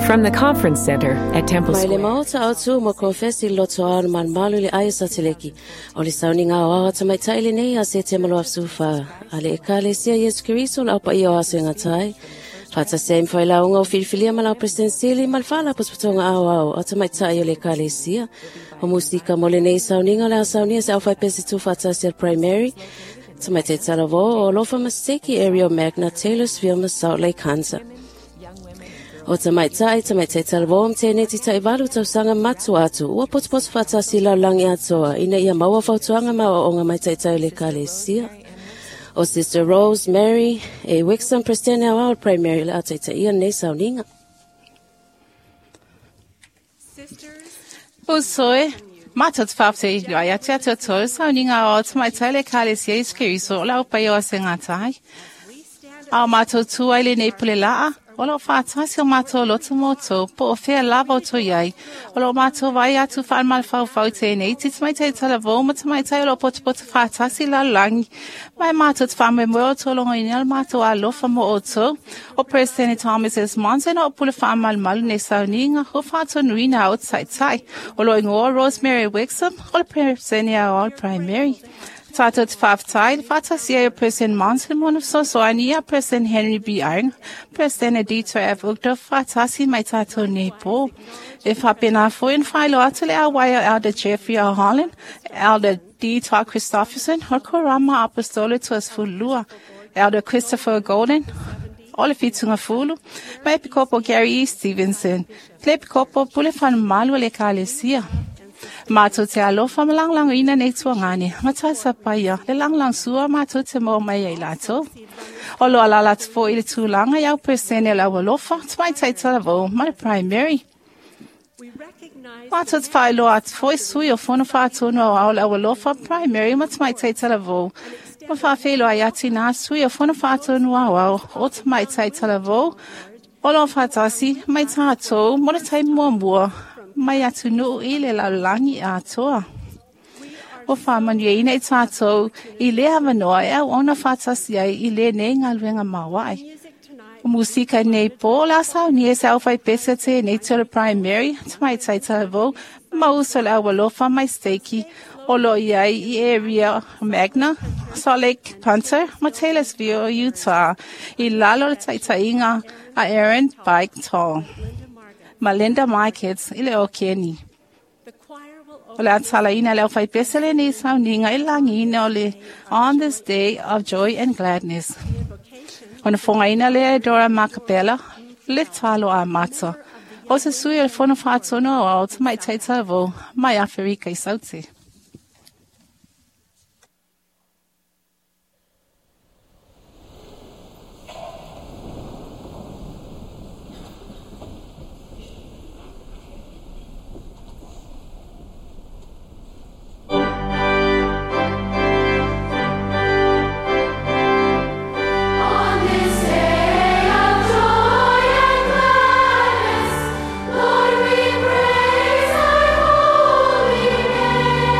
From the Conference Center at Temple Mai le Square. maota au tu mo konfesi loto au na malumalu le aia sateleki. O le sauniga o awa tamaitai lenei a se te malo afsufa. A le ekalesia Iesu Keriso le aupa ia o aso e ngatai. Faatasi ai ma failauga o filifilia ma lau President ma le faalapotopotoga aoao a tamaitai o le ekalesia. O musika mo lenei sauniga o le a saunia se aufaipese tuufaatasi a le Primary. Tamaitai talavou o Alofa Maseki Ariel Magna Taylorsville ma Salt Lake Hunter. O tamaitai, tamaitai talavou ma teneti taivalu tausaga matua atu, ua potopoto faatasi i lalolagi atoa, ina ia maua fautuaga ma aoaoga mai taitai o le ekalesia. O Sister Rose Mary A. Wixom, Presidente Aoao o le Primary, o le a taitaia lenei sauniga. Uso e, matou te faafetai ai ia te outou, sauniga o tamaitai le Ekalesia Iesu Keriso o le au paia o Asegatai. A o matou tu ai lenei pule laa, o lo o faatasi o matou loto ma outou, po o fea lava outou i ai. O lo o matou vaai atu faamalafaufau i tenei ti tamaitai talavou ma tamaitai o lo o potopoto faatasi i lalolagi. Ma e matou te faamoemoe o outou logoina le matou alofa mo outou. O Peresetene Thomas S. Monson o pule faamalumalu nei sauniga o faatonuina au taitai. O lo o igoa Rosemary Wixom o le Peresetene Aoao Primary. Tātou te faafetai, le faatasi ai o President Monson mo ona fesoasoani ia President Henry B. Eyring, President Dieter F. Uchtdorf faatasi mai tātou nei pō. E faapena foi ona faailoa atu le auai o Elder Jeffrey R. Holland, Elder D. Todd Christofferson, o le Korama Apostolo 22, Elder Christopher Golden, o le Fitungafulu, ma Epikopo Gary E. Stevenson, le Epikopo Pule Falemamalu o le Ekalesia. Matou te alofa ma lagolagoina nei tuagane, ma tausapaia le lagolagosua matou te maua mai ai latou. O lo o alaala atu foi i le tulaga i au Peresene o le Aualofa, Tamaitai Talavou ma le Primary. Matou te faailoa atu foi sui o Fono Faatonu Aoao o le Aualofa, Primary ma Tamaitai Talavou, ma faafeiloai atu i nā sui o Fono Faatonu Aoao o Tamaitai Talavou o lo o faatasi mai tatou mo le taimi muamua mai atunuu i le lalolagi atoa. Ua faamanuiaina i tatou i lea avanoa e auauna faatasi ai i lenei galuega maoae. O musika nei pō o le a saunia e se aufaipese tenei o le Primary, Tamaitai Talavou, ma uso le Aualofa mai Steiki o lo o i ai i area Magna, Salt Lake Punter ma Taylorsville, Utah, i lalo o le taitaiga a Aaron Bike Tall ma Linda Markets i le Okeni. O le a talaina le aufaipese lenei sauniga i le lagiina o le On This Day of Joy and Gladness. Ona fogaina lea e Dora Makapela le talo amata. O se sui o le Fono Faatonu Aoao Tamaitai Talavou mai Aferika i Saute. On this day of joy and gladness, Lord, we praise Thy holy name.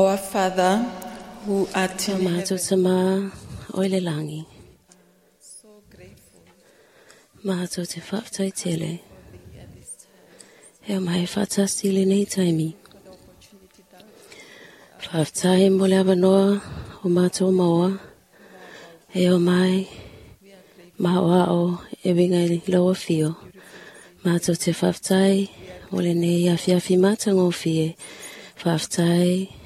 Our Father, who art O in mātou heaven, tamā o i le langi. Mātou te whaatai tele. E o mai whaatasi le nei taimi. Whaaftai mo le awanoa o mātou maua. E o mai maua o e winga i laua fio. Mātou te whaaftai mo le nei awhiawhi mātangōfie. Whaaftai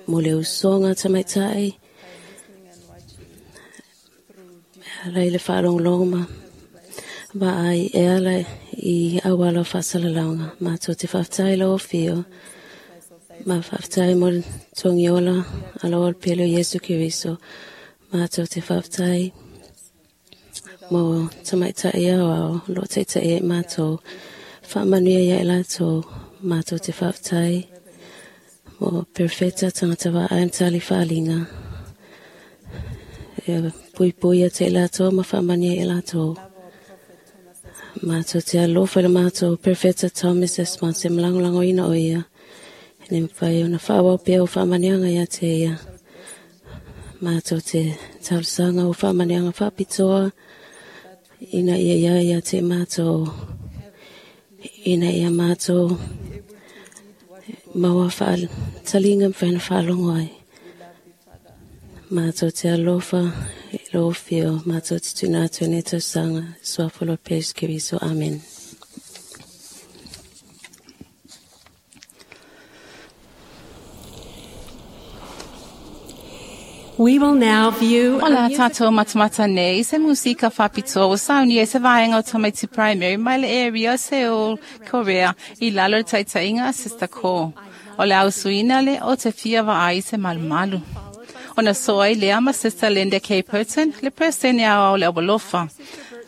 mo le usonga tamaitai. Ala i le whaalonglongo ma ma ai e ala i awala o whaasalalaunga. Mātou te whaaftai lau fio. Ma whaaftai mo le tongiola ala o pele o Yesu Keriso. Mātou te whaaftai mo tamaitai au ao lo taitai e mātou. Whaamanuia ia e lātou. Mātou te whaaftai mo perfecta tangata wa ai mtali whaalinga. E pui pui te lātou ma whaamania e lātou. Mātou te alofa le mātou perfecta Thomas Esponse mlangolango ina o ia. Ne mwhai ona whaawau pia o whaamanianga ia te ia. Mātou te taulusanga o whaamanianga whaapitoa. Ina ia ia ia te mātou. Ina ia mātou. Maua wha talinga mwhaina whaalongo ai. Mātou te alofa i lo fio. Mātou te tuna atu e tausanga. Suafolo Pesu Keriso. Amen. We will now view O la tātou matamata nei, se musika whapitoa o sauni e se vaenga o Tamaiti Primary, mai le area o Seoul, Korea, i lalo le taitainga Sister Ko. O le ausuina le o te fia vaai se malumalu. O na soa i lea ma Sister Linda K. Burton, le presene au le awalofa.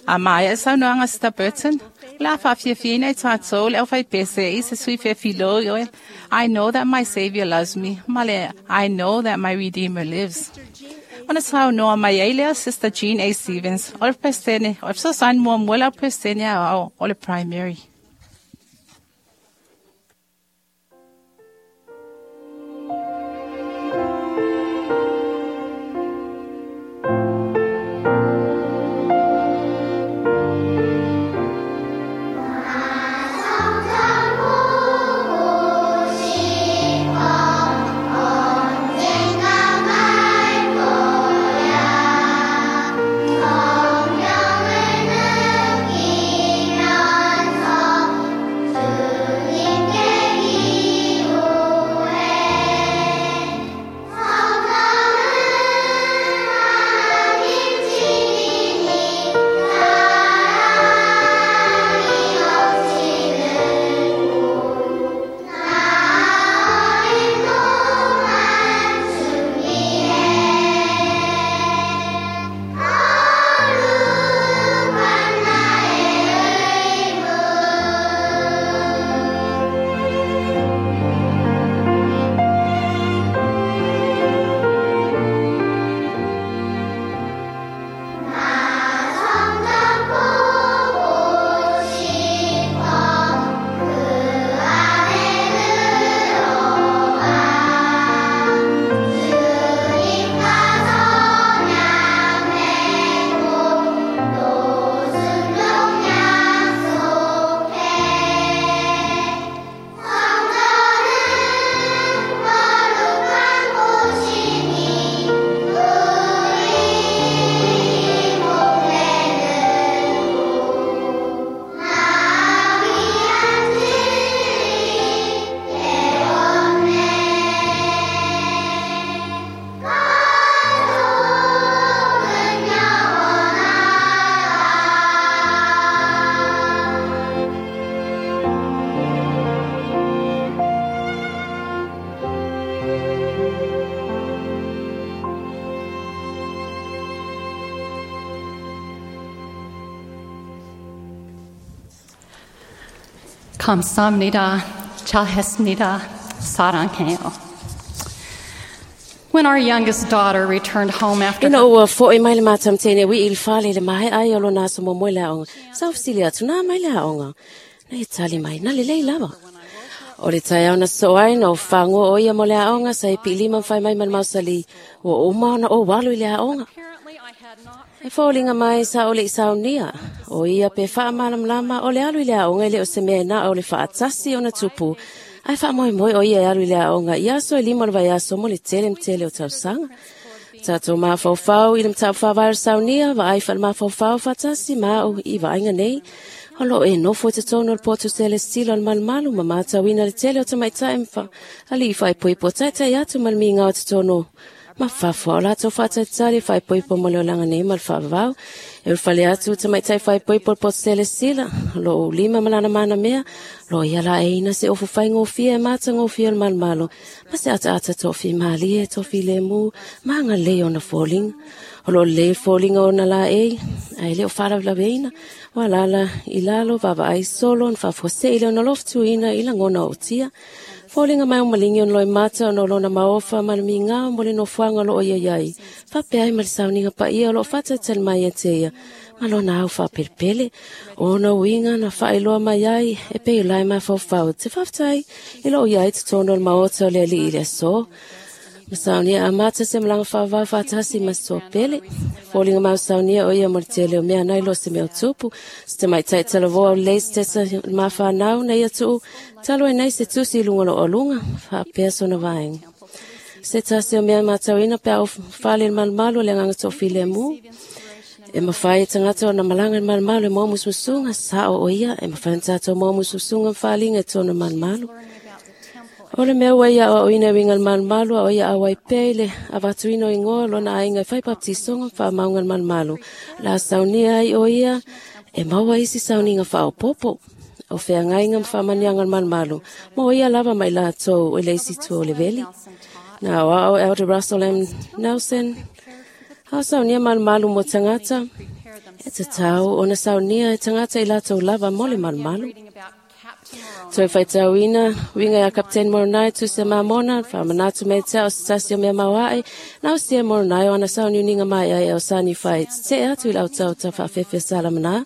A mai e saunoanga Sister Burton, la whawhiawhiina i tātou le au whaipese i se sui whiawhilo i oe. I know that my Savior loves me. Male, I know that my Redeemer lives. Ona sau noa mai ai lea Sister Jean A. Stevens, o le presene, o le fesoasoani muamua le au presene au o le primary. 감사합니다. 잘했습니다. 사랑해요. When our youngest daughter returned home after Ina ua fo'i mai le mātam tēne wi i le whale le mahe ai o lo nā sa mo le aonga. Sa ufsili atu nā mai le aonga. Na e tali mai, na le lei lava. O le taeao na sosoo ai na ou fagoa o ia mo le aoga sa e piilima ma fai mai ma le mausali, ua uma ona ou alu i le aoga. E foliga mai sa o le i saunia, o ia pe faamalamalama o le alu i le aoga e le o se mea na o le faatasi ona tupu, ae faamoemoe o ia e alu i le aoga i aso e 5 o le vaiaso mo le tele ma tele o tausaga. Tatou mafaufau i le mataupu faavae o le saunia, vaai faale-mafaufau faatasi ma au i vaaiga nei. O loo e nofo i totonu o le potu selesila o le malumalu ma matauina le tele o tamaitai ma alii faaipoipo taitai atu ma le migao i totonu ma fafo a o latou faatalitali faaipoipo mo le olaga nei ma le faavavau. E ulufale atu tamaitai faaipoipo o le potu selesila, o loo ulima ma lana manamea, o loo ia laeiina se ofu faigofie e matagofie o le malumalu, ma se ataata toafimalie, toafilemu, ma agalelei ona foliga. O loo lelei foliga ona laei, ae le o faalavelave ua alala i lalo vaavaai solo na faafuasei le ona lofutuina i lagona o utia. Foliga mai o maligi ona loimata ona o lona maofa ma le migao mo le nofoaga o loo ia iai. Faapea ai ma le sauniga paia o loo faatalitali mai ia te ia, ma lona au faapelepele. O ona uiga na faailoa mai ai e pei o lae mafaufau te faafetai i loo iai totonu o le maota o le alii i le aso. Ma saunia amata se malaga faavavau faatasi ma se toapele. Foliga mai o saunia o ia mo le tele o mea nai lo se mea o tupu. Se tamaitai talavoa o lelei se tesa o le mafanau na ia tuu talu ai nei se tusi i luga o loo aluga, faapea sona vaega. Se tasi o mea matauina pe a o fale le malumalu o le agaga toafilemu. E mafai e tagata ona malaga i le malumalu e maua musumusuga, sao o ia, e mafai ona tatou maua musumusuga ma faaaliga i totonu o le malumalu. O le mea ua ia aoaoina e uiga i le malumalu, a o ia auai pea i le avatuina o igoa o lona aiga e fai baptisoga ma faamauga i le malumalu. O le a saunia ai o ia e maua isi sauniga faaopoopo. O feagaiga ma faamanuiaga o le malumalu, mo ia lava ma i latou i le isi itu o le veli. Na aoao Elder Russell M. Nelson, a o saunia malumalu mo tagata, e tatau ona saunia e tagata i latou lava mo le malumalu. Toe faitauina, uiga ia Kapiteni Moronai tusi a Mamona, faamanatu mai te ao se tasi o mea mauae, na o sia Moronai o ana sauniuniga mai ai o sani fai, tetee atu i le autaauta faafefe salamana.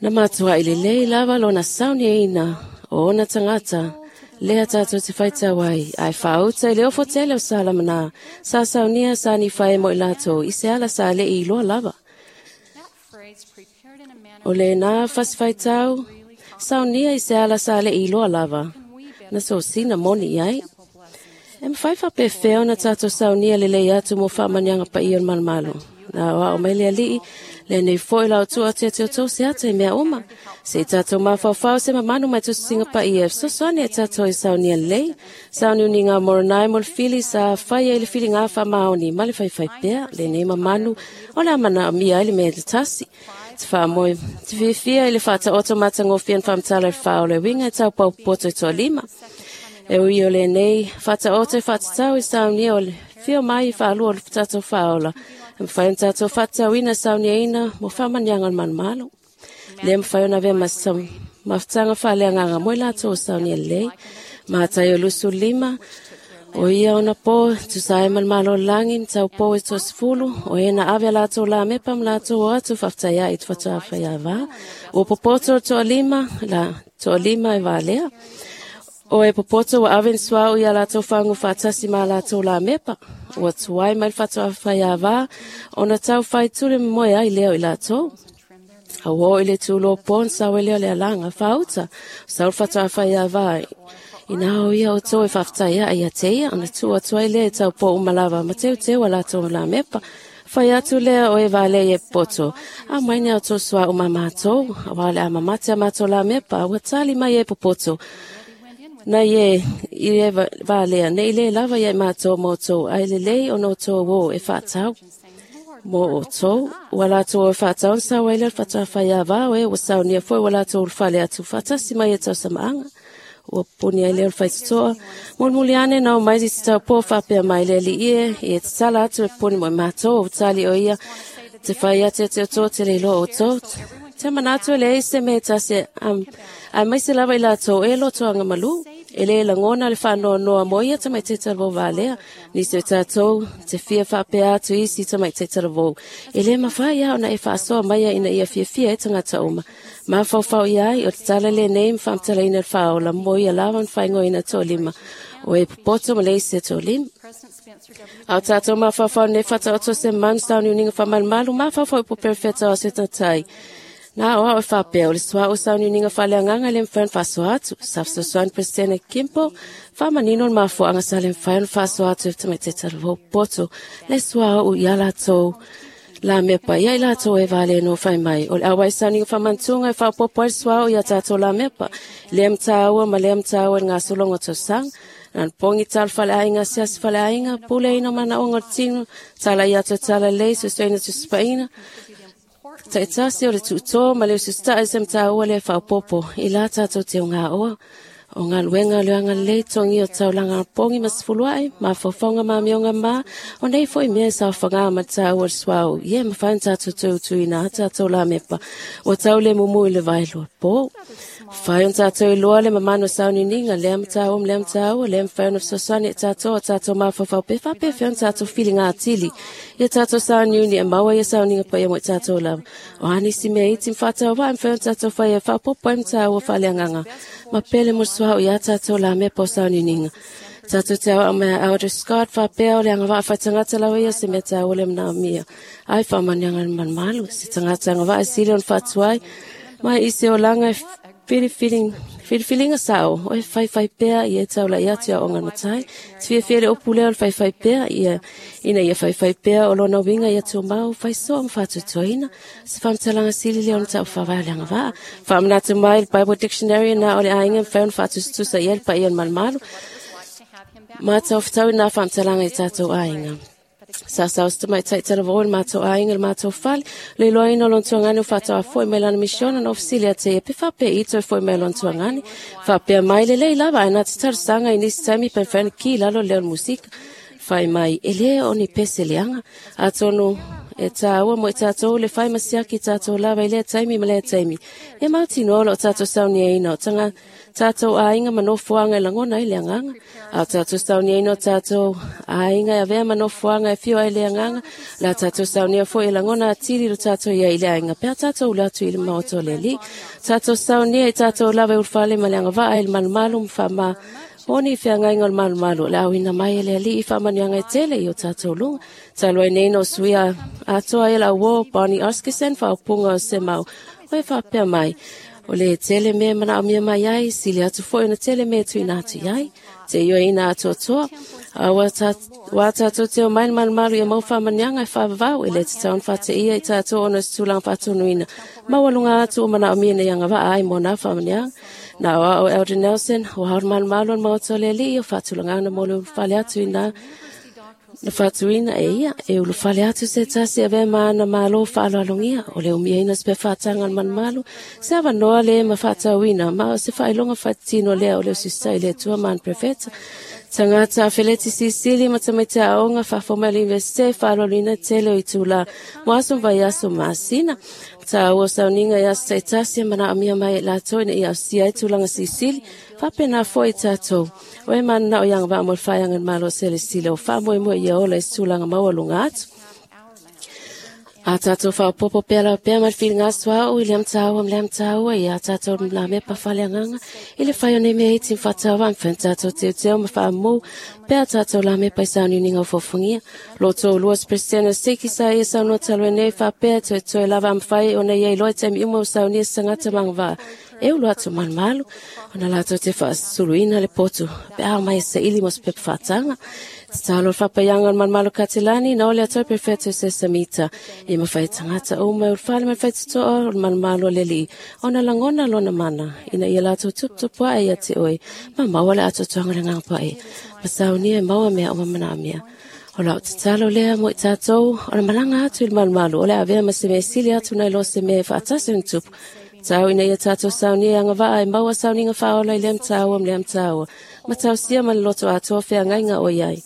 Na matuai lelei lava lona sauniaina o ona tagata, lea tatou te faitau ai, ae faauta i le ofo tele o Salamana, sa saunia sani fai mo i latou i se ala sa le i iloa lava. O lena fasi faitau, saunia i se ala sa le i iloa lava, na sosina moni i ai. E mawhai faapefea ona tatou saunia lelei atu mo faamanuiaga paia o le malumalu. Na aoao mai le alii, le nei foi lau tua te te o se ata i mea uma. Se i tatou mafaufau se mamanu mai tusisiga paia, e fesoasoani e tatou i saunia lelei. Sauniuniga o Moronai mo le fili sa faia i le filiga faamaoni ma le faifai pea, lenei mamanu o le a manaomia ai le mea le tasi. Te faamoe, te fiafia i le faataoto matagofie na faamatala i le faaola e uiga e taupau popoto i toalima. E ui o lenei faataoto e faatatau i saunia o le fio mai i faalua o le tatou faaola, e mafai ona tatou faatatauina sauniaina mo faamanuiaga o le malumalu. Lea mafai ona avea ma mafutaga faaleagaga mo i latou o saunia lelei. Mataio 25, o ia ona po, tusa ai ma le Malo o le lagi, na taupou e toasefulu, o e na ave a latou lamepa ma latou o atu faafetai ai i te faatoafaiava. Ua popoto le toalima, la toalima e valea. O e popoto ua ave ni suaʻu iā latou fagu faatasi ma latou lamepa. Ua tuai mai le faatoafaiava, ona tau faitule momoe ai lea o i latou. A ua oo i le tulo po na sau ai lea o le alaga faauta, sau le faatoafaiava. Ina o ia outou e faafetai ae ia te ia, ona tuu atu ai lea e taupou uma lava ma teuteu a latou lamepa. Fai atu lea o e valea i e popoto, aumai ni a outou suaʻu ma matou, aua o le a mamate a matou lamepa, ua tali mai e popoto. Na ie i e valea, nei le lava ia i matou ma outou, ae lelei ona outou o e faatau. Mo outou, ua latou o e faatau na sau ai lea le faatoafaiava o e ua saunia foi ua latou ulufale atu faatasi mai e tausamaaga. Ua puni ai lea o le faitotoa. Mulimuli ane na o mai se taupō faapea mai le alii e, ia tatala atu e puni mo i matou, o tali o ia, te fai atu e te outou te le iloa outou. Te manatu e leai se mea e tasi aemaise lava i latou e lotoaga malu. E le lagona le faanoanoa mo ia tamaitai talavou valea. Nisi o tatou te fia faapea atu isi tamaitai talavou. E le mafai lava ona e faasoa maia ina ia fiafia ai tagata uma. Mafaufau i ai o le tala lenei ma faamatalaina le faaola mo ia lava na faaigoaina toalima. O e popoto ma le isi e toalima. A o tatou mafaufau nei faataoto se manu sauniuniga faamalumalu, mafaufau i poperefeta o aso e tatai. Na o au e faapea, o le suaʻu sauniuniga faaleagaga e le mafai ona faasoa atu. Sa fesoasoani Peresetene Kimpo, faamanino le mafuaaga sa le mafai ona faasoa atu e tamaitai talavou poto le suaʻu ia latou la mepa ia i latou e valeno fai mai. O le auai sauniga faamantuga e faaopoopo ai le suaʻu ia tatou la mepa. Lea mataua ma lea mataua i le gasologa o tausaga. Na pongi tala faleaiga, siasi faleaiga, puleina o manaoga o le tino, tala ia atu tala lelei, suesueina tuspaina. Taitasi o le tuuto ma le usitaʻi se mataua le faaopoopo i la tatou te ogaoa. O galuega o le agalelei togia o taulaga pogi ma sefuluaʻi, mafaufauga ma amioga ma, o nei foi mea e saofaga ma taua le suaʻu, ia e mafai ona tatou toe utuina a tatou lamepa, ua tau le mumu i le vaeloa po. Fai ona tatou iloa le mamanu o sauniuniga, lea mataua ma lea mataua, lea mafai ona fesoasoani e tatou o tatou mafaufau pe faapefea ona tatou filiga atili. Ia tatou sauniuni e maua ia sauniga paia mo i tatou lava. O a nisi mea iti ma faatauvaʻi mafai ona tatou faia e faaopoopo ai mataua faaleagaga. Ma pele mo le suaʻu ia tatou lamepa o sauniuniga. Tatou te aoao mai a Elder Scott faapea o le agavaa faitagata lava ia se mea taua le manaomia. Ai faamanuiaga le malumalu, se tagata agavaa e sili ona faatuai, mai i se olaga e filifiliga sao, o e faifai pea ia e taulai atu ia aoga matai. Te fiafia le upu lea o le faifai pea ia, ina ia faifai pea o lona uiga ia tumau, faisoa ma faatuatuaina. Se faamatalaga sili lea ona tau faavae o le agavaa. Faamanatu mai le Bible Dictionary na o le aiga mafai ona faatusatusa i ai le paia o le malumalu. Ma taufetau i nā faamatalaga i tatou aiga. Sa sao se tamaitai talavou i le matou aiga i le matou fale, le iloaina o lona tuagane o faatoa foi mai lana misiona na ofisili ia te ia pe faapea i toe foi mai lona tuagane. Faapea mai lelei lava ae na te talosaga i nisi taimi pe mafai ona ki lalo le leo o le musika. Fai mai, e le o ni pese leaga. Atonu e tāua mo i tatou le fai ma siaki tatou lava i lea taimi ma lea taimi. E mautinoa o loo tatou sauniaina o tanga tatou aiga ma nofoaga e lagona ai le agaga. A o tatou sauniaina o tatou aiga e avea ma nofoaga e fio ai le agaga, la tatou saunia foi e lagona atili lo tatou ia i le aiga pe a tatou ula atu i le maota o le Alii. Tatou saunia i tatou lava e ulufale ma le agavaa i le malumalu ma faama o ni feagaiga o le malumalu o le auina mai e le Alii i faamanuiaga e tele i o tatou luga. Talu ai nei na o suia atoa ai lau uo Bonnie Oscarson faaupuga o se mau o e faapea mai. O le tele mea manaomia mai ai, sili atu foi ona tele mea tuuina atu i ai. Te ioeina atoatoa, a ua tatou te omai le malumalu ia mau faamanuiaga e faavavau e le tatau ona faateia i tatou ona o se tulaga faatonuina. Maualuga atu o manaomia ina ia agavaa ai mo nā faamanuiaga. Na o ao Elder Nelson, o hao le malumalu o le maota o le Alii o faatulagaga mo le ulufale atu i nā na faatuina e ia, e ulufale atu se tasi avea ma ana malo faaaloalogia, o le umiaina se faataga o le malumalu, se avanoa le ma faatauina, ma o se faailoga faatino lea o le usisai le Atua ma ana profeta. Tagata afeleti silisili ma tamaiti aoga faafou mai le Universite faaaloaloina tele o itulā mo aso ma vaiaso ma masina. Taua o sauniga i aso taitasi e manaomia mai e latou ina ia ausia ai tulaga silisili, faapena foi i tatou. O e mananao i agavaa mo le faeaga i le Malo o Selesile o faamoemoe ia ola i se tulaga maualuga atu. A tatou faaopoopo pea lava pea ma le filiga suaʻu i lea mataua ma lea mataua ia tatou lamepa faleagaga i le fai o nei mea iti ma faatauvaa ma fai ona tatou teuteu ma faamu pea tatou lamepa i sauniuniga o fofogia. Loto ulua se Peresetene o Siki sa ia saunoa talu ai nei faapea toetoe lava a mafai ona ia iloa i taimi uma o saunia se tagata magavaa e ulu atu malumalu ona latou te faasuluina le potu pe a mai e saili mo se pepa faataga. Tatalo le faapaiaga o le malumalu Katelani na ole atu prefeto se samita i mafai tagata uma e ulufale ma le faitotoa o le malumalu o le Alii ona lagona lona mana ina ia latou tuputupu ae ia te oe ma maua le atoatoaga o le agaga paia ma saunia e maua mea uma manaomia. O lau tatalo lea mo i tatou o le malaga atu i le malumalu o le avea ma se mea sili atu nai lo se mea e faatasi ona tupu. Tau ina ia tatou saunia e agavaa e maua sauniga faaola i lea mataua ma lea mataua, ma tausia ma le loto atoa feagaiga o i ai.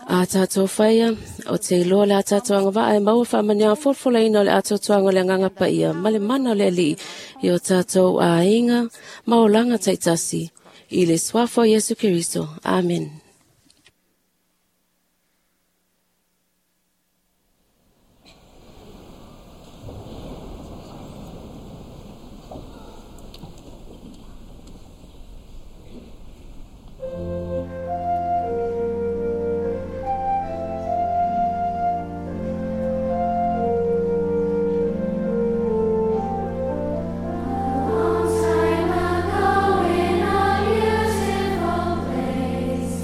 A tatou faia, o te iloa le a tatou agavaa e maua faamanuiaga folafolaina o le atoatoaga o le agaga paia ma le mana o le Alii i o tatou aiga ma olaga taitasi. I le suafa o Iesu Keriso. Amen. Long time ago in a beautiful place,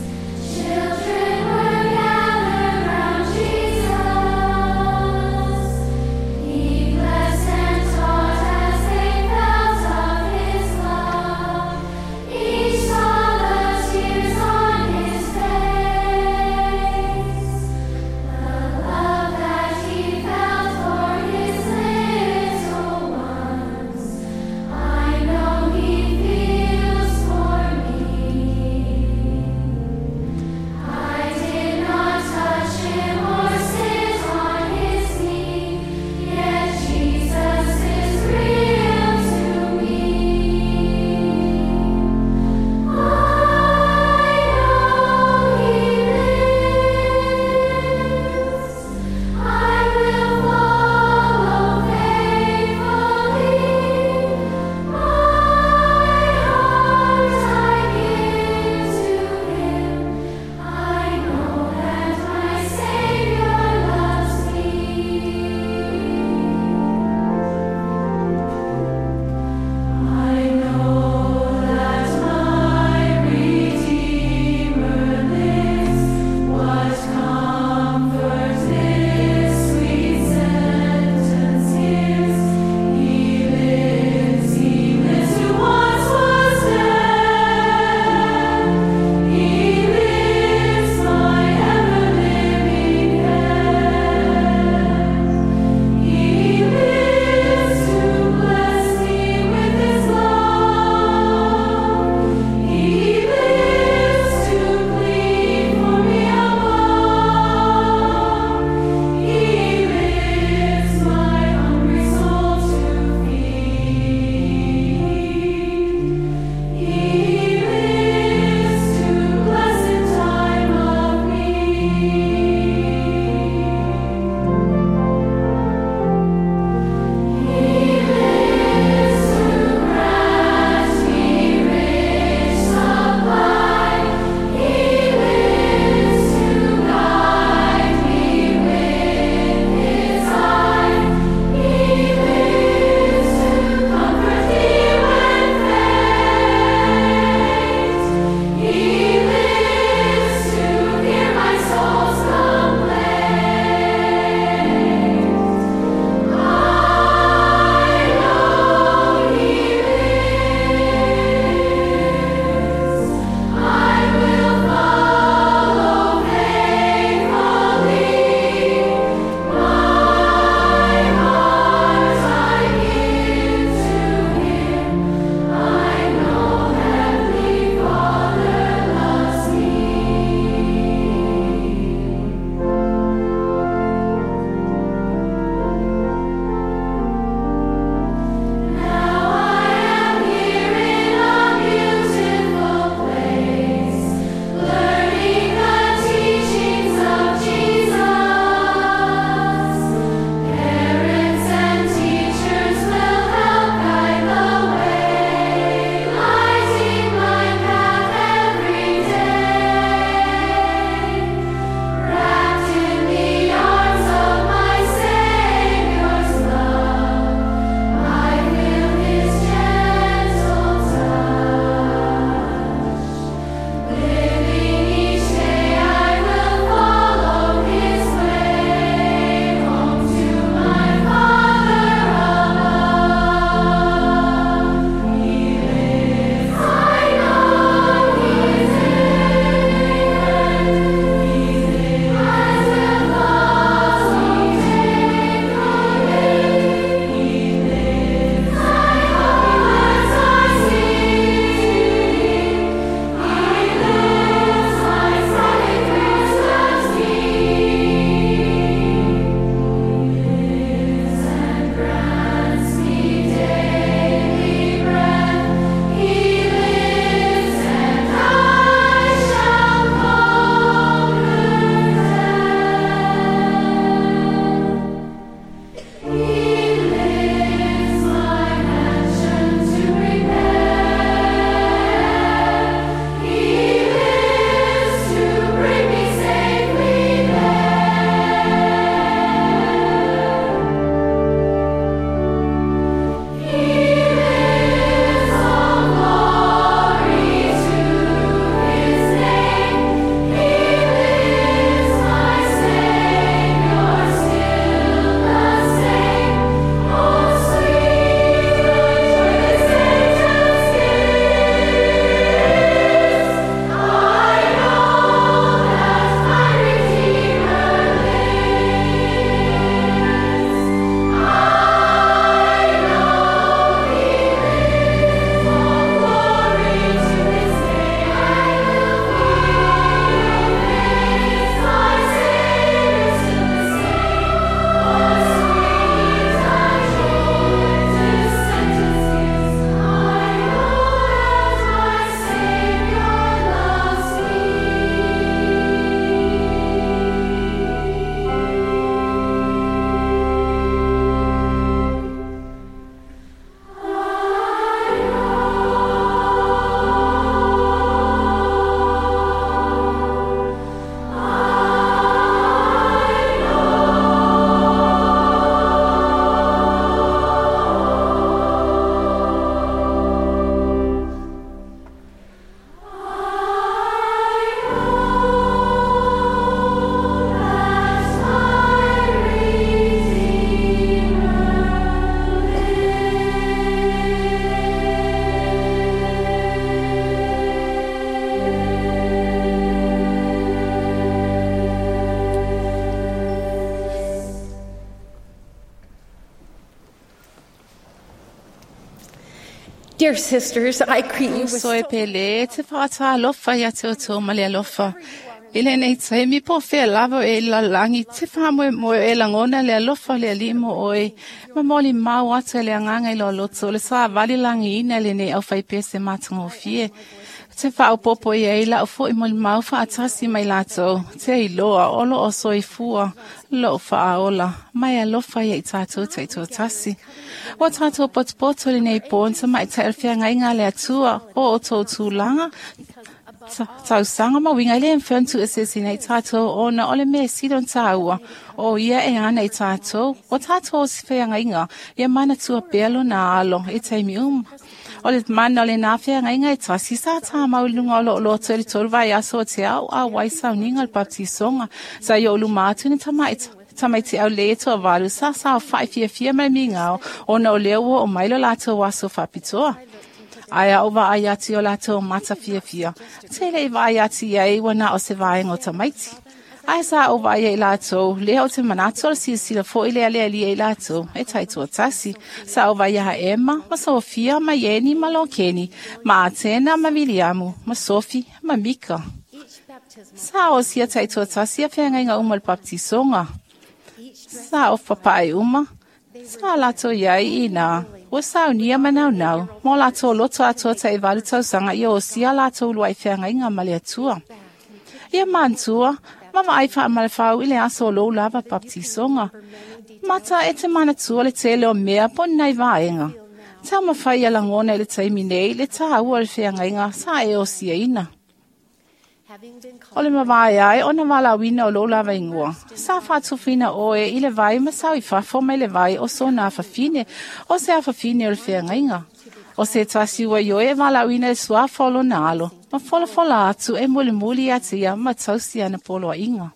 Dear sisters, I greet you with So e pele te whaatalofa ia te o tō ma le alofa. I lenei taimi po whea lava e lalangi te whamoe moe e langona le alofa le alimo oe. Ma moli mau atu le anganga i lo loto le sa vali langi ina le nei au whaipese matangofie. Te whaopopo i ei lau fo i moli mau whaatasi mai lātou. Te iloa olo o soifua lo whaaola. Mai alofa ia i tātou te i tasi. O tātou potopoto le nei pōn ta mai te alwhea ngai ngā le atua o o tō tūlanga. Tausanga ma winga le mfentu e sesi nei tātou o na ole me sidon tāua o ia e ana i tātou o tātou o si whea inga ia mana tua pelo na alo e teimi o le mana o le nā whea inga e tasi sa tā maulunga o lo loto e le tolu vai aso o te au a wai sauninga le baptisonga sa i o lumātu ni tamaita tamaiti au le toa valu sa sa o whai fia fia mai mingao o na o leo o mailo lātou aso whapitoa. Aia o vai atu o lātou mata fia fia. Te lei vai atu ia i wana o se vaenga o tamaiti. Aia sa o vai e lātou, lea o te manato o sila fo i lea lea lia i lātou, e taitoa tasi. Sa o vai aha Emma, ma Sofia, ma Yeni, ma Lokeni, ma Atena, ma Viliamu, ma Sofi, ma Mika. Sa o sia taitoa tasi a whengainga uma le baptisonga. Sa o papai uma. Sa lātou iai i nā. O saunia manau nau. Mō lātou loto atoa te iwaru tausanga i o sia lātou lua i whengainga ma le atua. Ia mantua, mama ai whaamalawhau i le aso lou lava baptisonga. Mata e te manatua le tele o mea po nei vaenga. Tau mawhai a langona i le taimi nei le tāua le whengainga sa e o sia ina. O le mawai ai o na walawina o lou lava ingoa. Sa whātufina oe i le vai ma sau i whafo mai le vai o sōna awhawhine o se awhawhine o le whengainga. O se tasi ua ioe e walawina e suafa o lona alo. Ma folafola atu e mulimuli atia ma tausi ana poloa inga.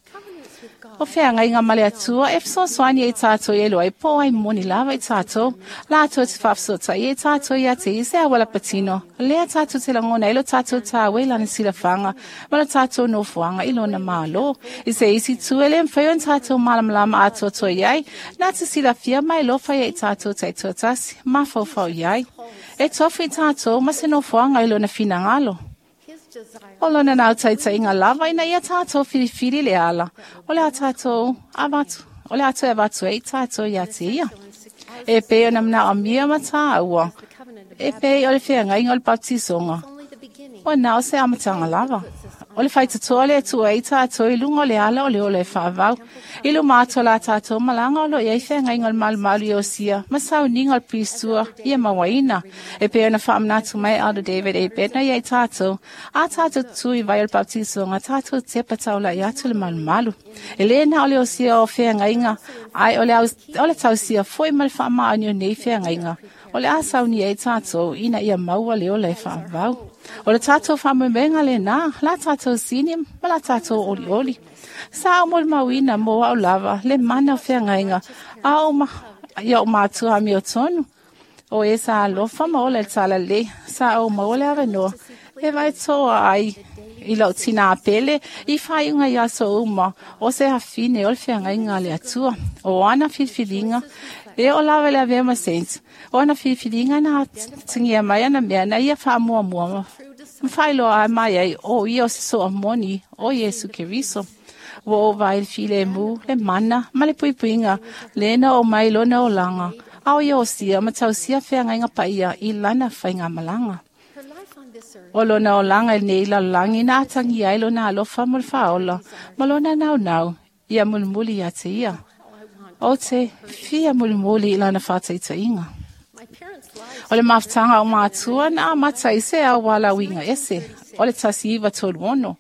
O whengainga ma le atua e whsosoani e tātou e loa e po ai moni lava i tātou. Lātou te whafsota i e tātou i ate i se awala patino. Lea tātou te langona i lo tātou tāwe lana silawhanga. Ma lo tātou nofuanga i lona mālo. I se isi tuele mwhaio n tātou malamalama atoa iai. Nā te silawhia mai lo whaia i tātou te tuatasi. Ma whauwhau iai. E tofu i tātou ma se nofuanga i lona whinangalo. O lona nau taita inga lava ina ia tātou whiriwhiri le ala. O le a tātou avatu. O le atu e avatu e i tātou ia te ia. E pē o namna o mia ma tāua. E pē o le whengainga o le baptisonga. O nā o se amatanga lava. O le whaitatoa le atua i tātou i lunga o le ala o le ole e whaavau. I lu mātua la tātou malanga o lo ia i whengainga o le malumalu i o sia. Ma sauninga o le pristua ia mawaina. E pē ona whaamanatu mai Elder David A. Bednar ia i tātou. A tātou tui vai o le baptisonga, tātou te pataula i atu le malumalu. E lena o le o sia o whengainga, ai o le tausia foi ma le whaamaani o nei whengainga. O le asauni e tātou ina ia maua le ole e whaavau. O le tātou whamumenga le nā, la tātou sini, ma la tātou oli oli. Sa o moli mauina mō au lava, le mana o whengainga, a o ma, ia o mātua mi o tonu. O e sa alofa ma ole tala le, sa o maole avenoa, e vai toa ai i lau tina apele, i whaiunga i aso uma, o se hawhine o le whengainga le atua, o ana whilwhilinga, e o lawa le avea ma sent. O ana whilwhilinga na tingia mai ana mea na ia whaamua mua. Mwhailoa ai mai ai o ia o se soa moni o Yesu Keriso. Wa o vai le file mu, le mana, ma le puipuinga, le na o mai lona o langa. Au ia o sia, ma tau sia whengainga paia i lana whainga malanga. O lona o langa i nei la langi na atangi ai lona alofa mo le whaola, ma lona nau nau, ia mulimuli ia te ia. O te fia mulimuli i lana whātaitainga. O le mafutanga o mātua na mata i se au wala winga ese. O le tasi iwa tolu ono.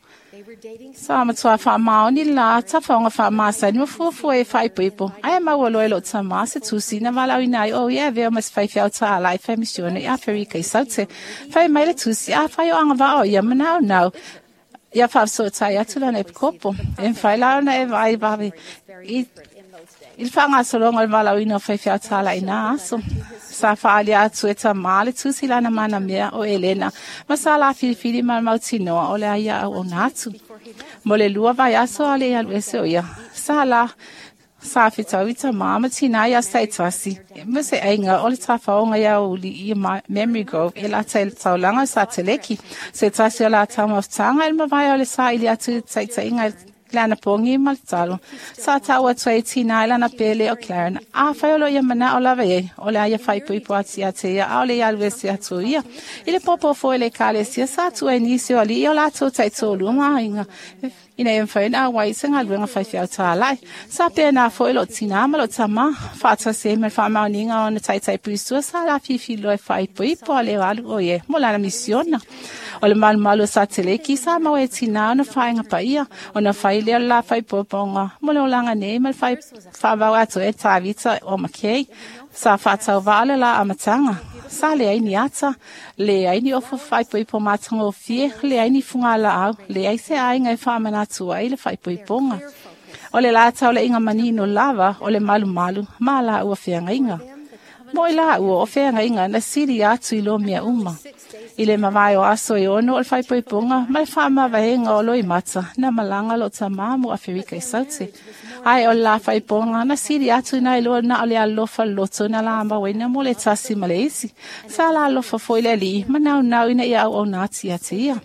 Sa matua whaamaoni la tawhaonga whaamaasani ma fuafua e whaipoipo. Aia maua loe lo tamā se tusi na walau inai o ia veo mas whaiwhiau tā ala i whaimisione i Aferika i Saute. Whai mai le tusi a whai o anga vao ia manau nau. Ia whaafsotai atu lana e pkopo. E mwhai launa e vai wawe. I le whangasolonga o le walauina o whaiwhiau tā ala i nā aso. Sa whaali atu e ta maale tusi lana mana mea o Elena. Ma sa la whiriwhiri ma mautinoa o le aia au o nātu. Mo le lua vai aso ale alu ese o ia. Sa Sa fetau i tamā ma tinā i aso ta'itasi, ma se aiga o le tafaoga i aoauli i Memory Grove e lata i le taulaga o Sateleki. Se tasi o la taumafataga i le mavae o le saili atu i ta'ita'iga i le anapogi ma le tatalo. Sa ta'u atu ai tinā i lana pele o Claren. Afai o lo ia mana'o lava ai, o le a ia faaipoipo atu ia te ia, a'ole ia alu ese atu ia. I le pōpō foi le ekalesia sa tuu ai nisi o ali'i o latou ta'itoalua ma aiga ina ia mafai ona auai i se galuega faifeau tāla'i. Sa pēnā foi lo'u tinā ma lo'u tamā, fa'atasi ai ma le fa'amaoniga o ona ta'ita'i puisua sa lafifi loa e fa'aipoipo a le alu o ie mo lana misiona. O le malumalu o Sateleki sa maua e tinā ona fa'aega paia, ona fai lea o le la fa'aipoipoga mo le olaga nei ma le fa'avau atoa e Tavita o Makei. Sa fa'atauva'a le la amataga. Sa leai ni ata, leai ni ofo fa'aipoipo matagofie, leai ni fugala'au, leai se aiga e fa'amanatu ai le fa'aipoipoga. O le la taula'iga manino lava o le malumalu ma la'ua feagaiga. Mo i la'ua o feagaiga na sili atu i lo mea uma. I le mavae o aso e 6 o le fa'aipoipoga ma le fa'amavaega o loimata na malaga lo'o tamā mo Aferika i Saute. Ae o le la fa'aipoga na sili atu nai loa na o le alofa loto na la mauaina mo le tasi ma le isi. Sa la alofa foi le ali'i ma naunau ina ia auauna atu ia te ia.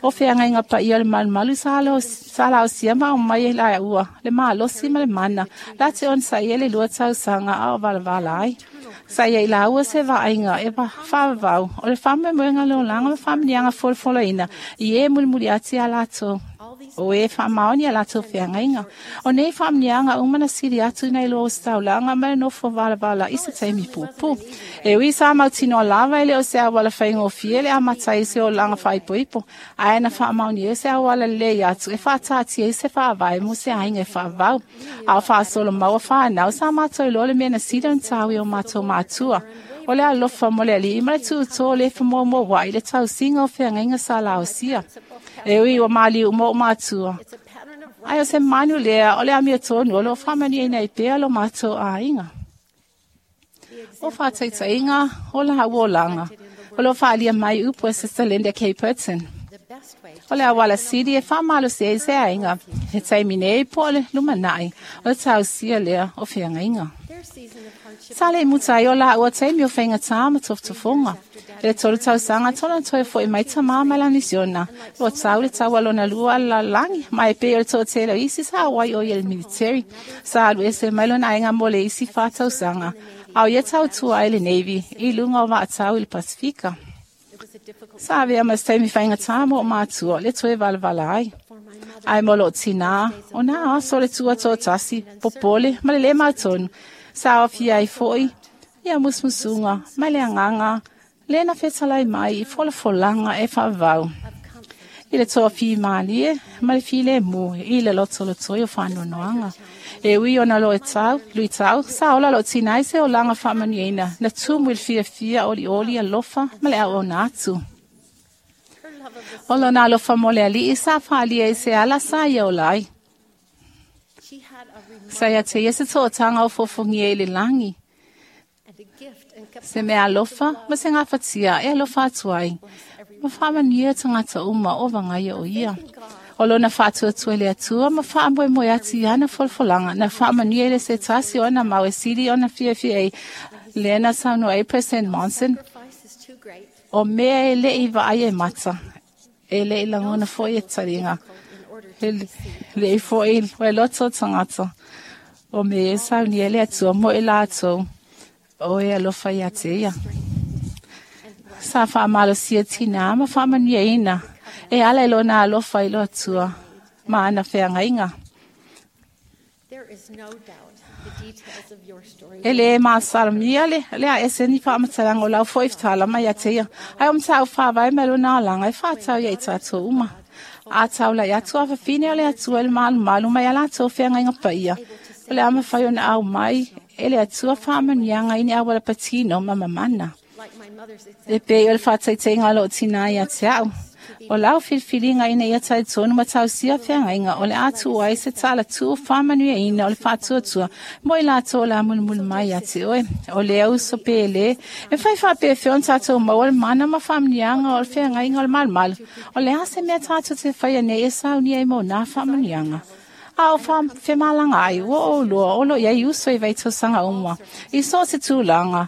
O feagaiga paia o le malumalu sa laosia ma aumai ai la'ua le malosi ma le mana la te onosa'i ai le 2 tausaga a o valavala ai. Sa ia i laua se va'aiga e fa'avavau o le fa'amoemoega le olaga ma fa'amaniaga folafolaina i e mulimuli atu iā latou o e fa'amaoni a latou feagaiga. O nei fa'amaniaga uma na sili atu nai loa o se taulaga ma le nofo valavala i se taimi puupuu. E ui sa mautinoa lava e le o se auala faigofie le amata ai se olaga fa'aipoipo, ae na fa'amaoni ai se auala lelei atu e fa'ataatia ai se fa'avae mo se aiga e fa'avau. A o fa'asolo maua fa'anau sa matou iloa le mea na sili ona tāui o matou matua. O le alofa mo le ali'i ma le tu'utō le fa'amuamuaua'i le tausiga o feagaiga sa laosia. E ui ua maliu uma o'u matua. Ae o se manu lea o le amiotonu o lo'o fa'amanuiaina ai pea lo matou aiga. O fa'ataita'iga o la'ua olaga o lo'o fa'alia mai upu e Sister Linda K. Burton. O le auala sili e fa'amalosi ai se aiga he taimi nei po o le lumana'i o le tausia lea o feagaiga. Sa le muta ai o la'ua taimi o faigatā ma tofotofoga. E le 3 tausaga tolo na toe fo'i mai tamā mai lana misiona. Ua tau le taua lona lua a le lalolagi, ma e pei o le to'atele o isi sa auai o ia i le military. Sa alu ese mai lona aiga mo le isi 4 tausaga, a o ia tautua ai le Navy i luga o va'atau i le Pasifika. Sa avea ma se taimi faigatā mo o matua le toe valavala ai. Ae mo lo'o tinā, o nā aso o le tua to'atasi, popole ma le lē mautonu. Sa aofia ai fo'i ia musumusuga ma le agaga le na fetalai mai i folafolaga e fa'avavau. I le to'afimalie ma le filemu i le lotolotoi o fa'anoanoaga. E ui ona luitau, sa ola lo'o tinā i se olaga fa'amanuiaina na tumu i le fiafia olioli alofa ma le auauna atu. O lona alofa mo le ali'i sa fa'alia i se ala sa ia ola ai. Sa ia te ia se to'ataga o fofogia i le lagi. Se mea alofa ma se gafatia e alofa atu ai. Ma fa'amanuia tagata uma o vagaia o ia. O lona fa'atuatua i le Atua ma fa'amoemoe atu i ana folafolaga na fa'amanuia i le se tasi o ana mau e sili ona fiafia ai lea na saunoa ai President Monson. O mea e le'i va'ai e mata, e le'i lagona fo'i e taliga, e le'i fo'i e loto o tagata. O mea e saunia le Atua mo i latou o e alofa ia te ia. Sa fa'amalosia tinā ma fa'amanuiaina e ala i lona alofa i lo Atua ma ana feagaiga. E le masalamia le a ese ni fa'amatalaga o lau fo'i fetala mai ia te ia. Ae o mata'u fa'avae mai lona alaga e fa'atau ia i tatou uma. A taula'i atu afafine o le Atua i le malumalu mai a latou feagaiga paia. O le a mafai ona au mai e le Atua fa'amanuiaga i ni auala patino ma mamana. E pei o le fa'ataitaiga o lo'o tinā ia te a'u. O lau filifiliga ina ia talitonu ma tausia feagaiga o le a tuu ai se talatū fa'amanuiaina o le fa'atuatua mo i latou o le a mulimuli mai ia te oe. O lea uso pēlē e fai fa'apefea ona tatou maua le mana ma fa'amanuiaga o le feagaiga o le malumalu. O le a se mea tatou te faia nei e saunia ai mo nā fa'amanuiaga. A o whamalanga ai, o o lua, o lo iai uso i vaitosanga uma. I so se tūlanga,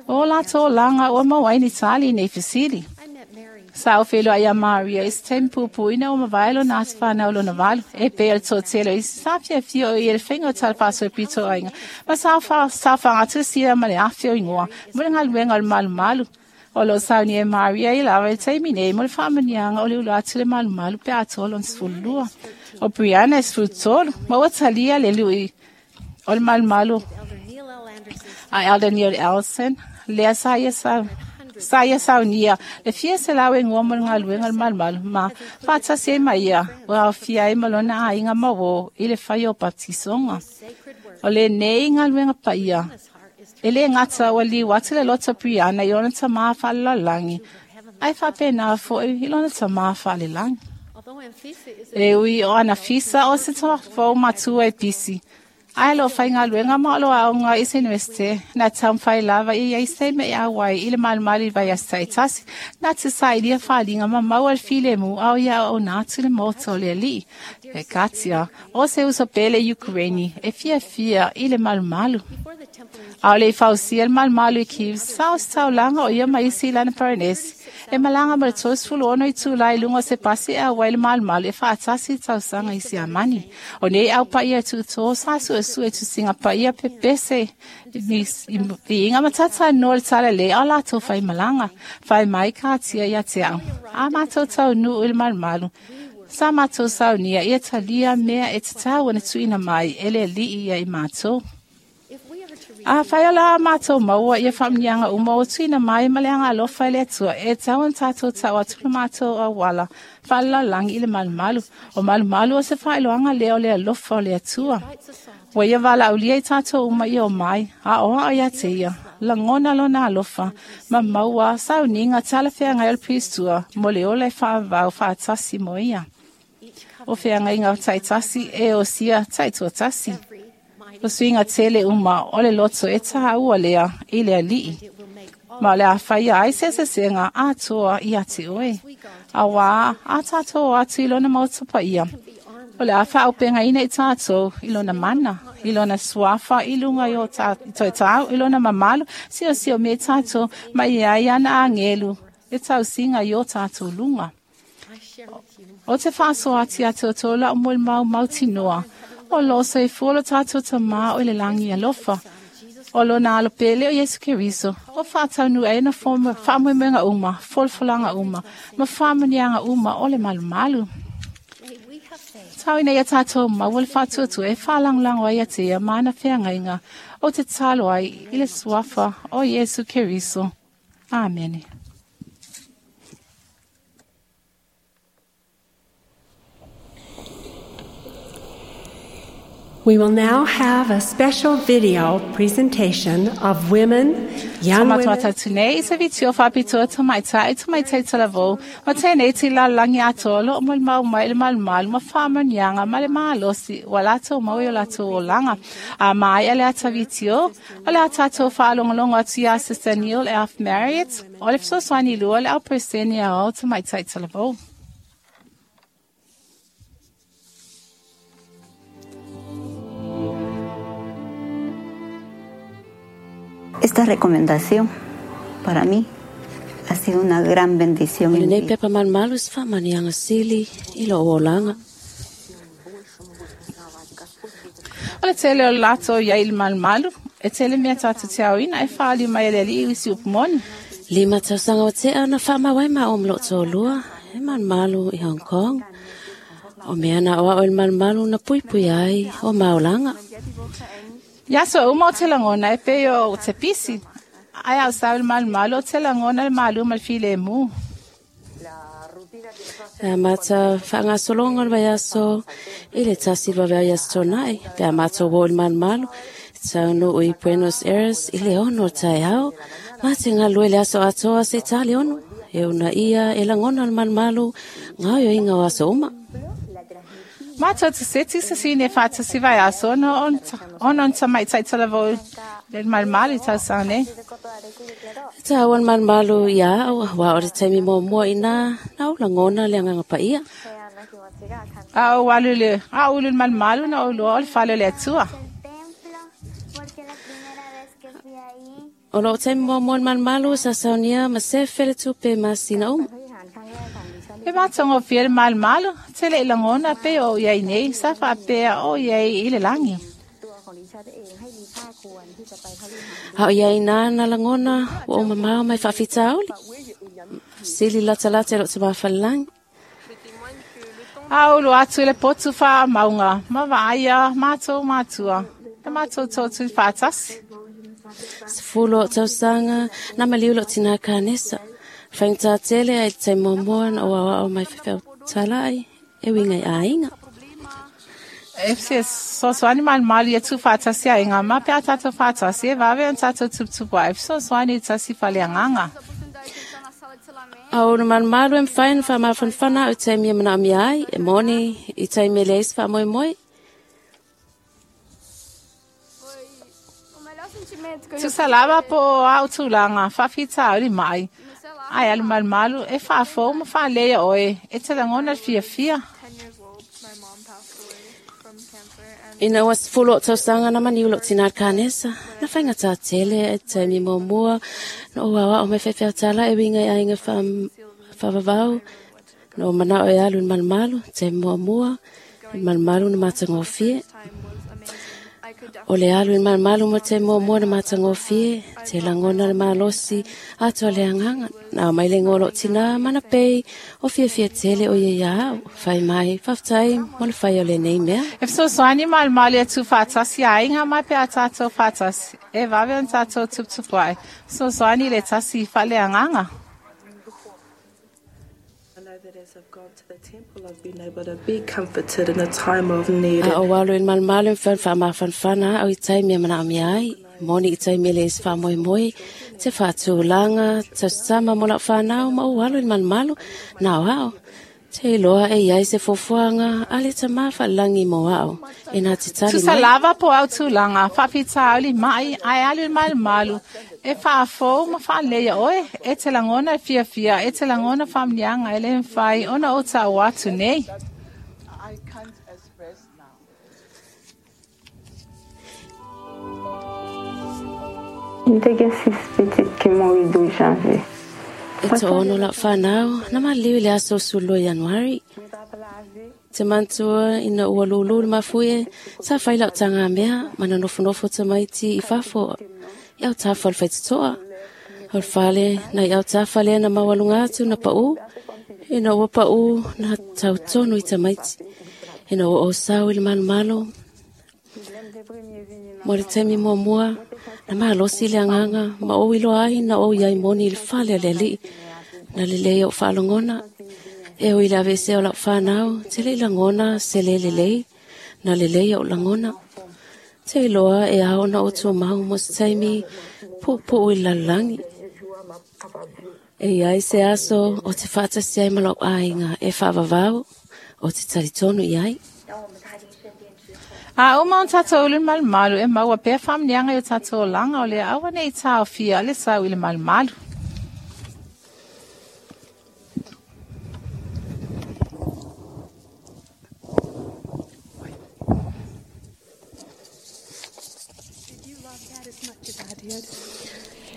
o la tō langa o mau ni tali nei fisili. Sa o whelo ai a Maria, i se tempupu ina o mawaelo nā te whanau lona valu. E pe el tō telo, i sa fia fio i el whenga o talwhaso e pito ainga. Ma sa whangatu sia ma le awhio ingoa, mo le ngaluenga o le malu malu. O lo sauni e Maria i lawa e taimi nei, mo le whaamanianga o le ulu atu le malu malu pe atolo on sfulua. O Brianna e sfulutolu, ma ua talia le lui o le malu malu. A Elder Neil Ellison, lea sa ia sa ia saunia, le fia se lau e ngō mo le ngaluenga le malu malu, ma whātasi e mai ia, ua fia e malona a inga mawo i le whai o baptisonga. O le nei ngaluenga pa ia, e le ngata ua liu atu le loto Brianna i ona tamā whaalalangi, ai whapena fo i lona tamā whaalelangi. E ui o ana fisa o se tō matua e pisi. Ai lo whai ngaluenga ma o lo aonga i se universite, nā taumwhai lava i ai se me ia wai i le malu vai a saitasi, nā te sailia whalinga ma maua le file mu au ia o nātu le moto le li. E katia, o se uso pele Ukraini, e fia fia i le malu. Au le fausia le malu i Kiev, sa o saulanga o ia maisi lana paranesi, e malanga ma le tosfulu ono i tūlai lunga se pasi a wai le malu e whaatasi tausanga i si amani. O nei au pa ia tūtō sa su e su e tusinga pa ia pepese i inga matata no le tala le o lato whai malanga, whai mai kātia ia te au. A mātou tau nu i le malu. Sa mātou saunia ia talia mea e te tau ana tuina mai e le li ia i mātou. A whai ala mātou maua ia whamnianga uma o tuina mai maleanga alofa i le atua e tau an tātou tau atula mātou a wala whala langi i le malu. O malu o se whailoanga leo le alofa o le atua. Wa ia wala aulia i tātou uma i o mai, a oa o ia te ia, langona lona alofa, ma maua sauninga tala whea ngai o le pistua, mo le ole whaavau whaatasi mo ia. O whea ngai ngau taitasi e o sia taituatasi. O suinga tele uma o le loto e taha ua lea i le alii. Ma le a whaia ai se sesenga a toa i ate oe. A wā a tātou atu i lona mautapa ia. O le a whaopenga ina i tātou i lona mana, i lona suafa, i lunga i o toi tāu, i lona mamalu, sio sio me tātou, ma i ai ana angelu, e tausinga i o tātou lunga. O te whaaso ati a te otola o mo mau mautinoa. O lo se folo tātou tamā o le langi alofa. O lo nā alo pele o Yesu Keriso. O whātaunu e na whāmuemenga uma, folfolanga uma, ma whāmanianga uma o le malu malu. Tau ina ia tātou maua le whātuatu e whālanglango ai a te ia mana wheangainga o te talo ai i le suafa o Yesu Keriso. Amene. We will now have a special video presentation of women, young women. Tūnei se vitio whapitoa tamaitai, tamaitai talavou, ma tēnei te lalangi atolo, o mau mai le malu, ma whamanianga, ma le maalosi, wa lato mau o lato o langa. A mai ale ata vitio, o le atato whaalongalongo atu ia Sister Neil F. Marriott, o le fsoswani lua le au preseni a o tamaitai talavou. Esta recomendación para mí ha sido una gran bendición en mi vida. Pepa malu whamanianga sili i lo olanga. O le tele o lato ia i le malu, e tele mea tātou te auina e whaali mai le li i si upumoni. Lima tausanga o te ana whamawai ma o mloto o lua, e malu i Hong Kong. O mea na oa o le malu na pui pui ai o maolanga. Ia so uma o te langona e peo o te pisi. Ai au sau le malu o te langona le malu ma le file mu. Pea mata whangasolonga le vaiaso i le tasi lua vea tonai. Pea mata o le malu taunu i Buenos Aires i le ono tai au. Mate ngā lue le aso atoa se tali ono. E una ia e langona le malu ngā io inga o aso uma. Mātou te seti se sine whātasi vai aso ono on tamaitai talavou le malu tausane. Tā wan malu ia au wā o te taimi mua mua ina nā o langona le anganga pa ia. A ou alu le a ulu malumalu na ou loa o le fale o le Atua. O loo taimi muamua le malumalu sa saunia ma sefe le tupe masina uma. E matagofie le malumalu, tele i lagona pei o iai nei, sa faapea o iai i le lagi. A o iai nā na lagona ua ou mamao mai faafitauli. Sili latalata i loo tamāfalelagi. A ulu atu i le potu faamauga, ma vaaia matou matua, e matou totu faatasi. 10 o tausaga na maliu loo tinā kanesa. Faigata tele ai le taimi muamua na ou aoao mai faifeau talai e uiga i aiga. E fesoasoani malumalu ia tuufaatasi aiga ma pe a tatou faatasi e vave ona tatou tuputupu ai e fesoasoani i tasi faleagaga. A o le malumalu e mafai ona faamafanafana au i taimi e manaomia ai, e moni i taimi e leai se faamoemoe. Tusa lava po o au tulaga faafitauli mai, ae alu malumalu e faafou ma faaleia oe e te lagona le fiafia. Ina ua 10 o tausaga na maniu loo tinā le kanesa, na faigata tele ai taimi muamua na ou aoao mai faifeau tala e uiga i aiga faavavau, na ou manao e alu i le malumalu, taimi muamua, le malumalu na matagofie. O le alu i le malumalu mo taimi muamua na matagofie, te lagona le malosi atoa le agaga. Na aumai le igoa o loo tinā mana pei o fiafia tele o ia ia au. Fai mai, faafetai mo le fai o lenei mea. E fesoasoani malumalu ia tuufaatasi aiga ma pe a tatou faatasi, e vave ona tatou tuputupu ai. Fesoasoani i le tasi faaleagaga. A ou alu i le malumalu e mafai ona faamafanafana au i taimi e manaomia ai. Moni i taimi e leai se faamoemoe, te faatulaga, tausama mo lau fanau ma ou alu i le malumalu, na o ao. Te iloa e iai se fuafuaga a le tamā faalelagi mo ao, e na te tali Tusa mai. lava po au tulaga faafitauli mai ae alu i le malumalu e faafou ma faaleia oe, e te lagona e fiafia, e te lagona faamanuiaga e le mafai ona ou taua atu nei. M te gen 6 pitit ki mouri 12 janvye. E to'ono lau fanau, na maliu i le aso 12 Ianuari. Te manatua ina ua lūlū le mafuie, sa fai lau tagamea ma na nofonofo tamaiti i fafo i autafa o le faitotoa. O le fale na i autafa lea na maualuga atu na pa'ū, ina ua pa'ū na tautonu i tamaiti. Ina ua ou sau i le malomalo, mo le taimi muamua, na malosi le agaga ma ou iloa ai na ou iai moni i le fale o le alii. Na lelei ou faalogona, e ui i le aveesea o lau fanau, te le i lagona se le lelei, na lelei ou lagona. Te iloa e ao ona ou tumau mo se taimi puupuu i le lalolagi. E iai se aso o te faatasi ai ma lou aiga e faavavau, o te talitonu i ai. A uma ona tatou ulu i le malumalu, e maua pea faamanuiaga i o tatou olaga o le aua nei taofia le sau i le malumalu.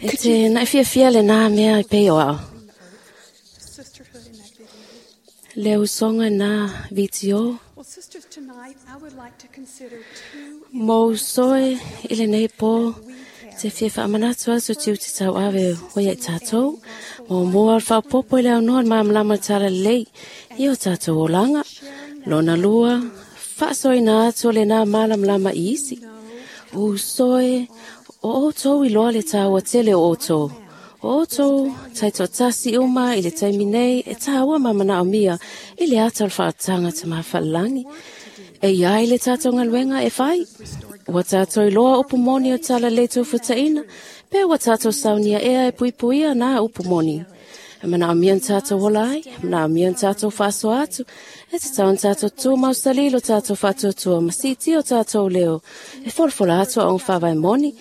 E te na'i fiafia lenā mea i pei o ao. Le usoga i nā vitio. Mo usoe i lenei pō, te fia faamanatu atu tiute tauave ua ia i tatou. Muamua o le faaopoopo i le aunoa le malamalama o le talalelei i o tatou olaga. Lona lua, faasoaina atu o lenā malamalama i isi. Usoe, o outou iloa le taua tele o outou. O outou taitoatasi uma i le taimi nei e taua ma manaomia i le ata o le faaotaga tamāfalelagi. E iai le tatou galuega e fai. Ua tatou iloa upu moni o talalelei tofutaina, pe ua tatou saunia ea e puipuia nā upu moni. E manaomia na tatou ola ai, e manaomia na tatou faasoa atu, e tatau ona tatou tumau salilo tatou faatuatua ma siitia o tatou leo, e folafola atu aoga faavae moni.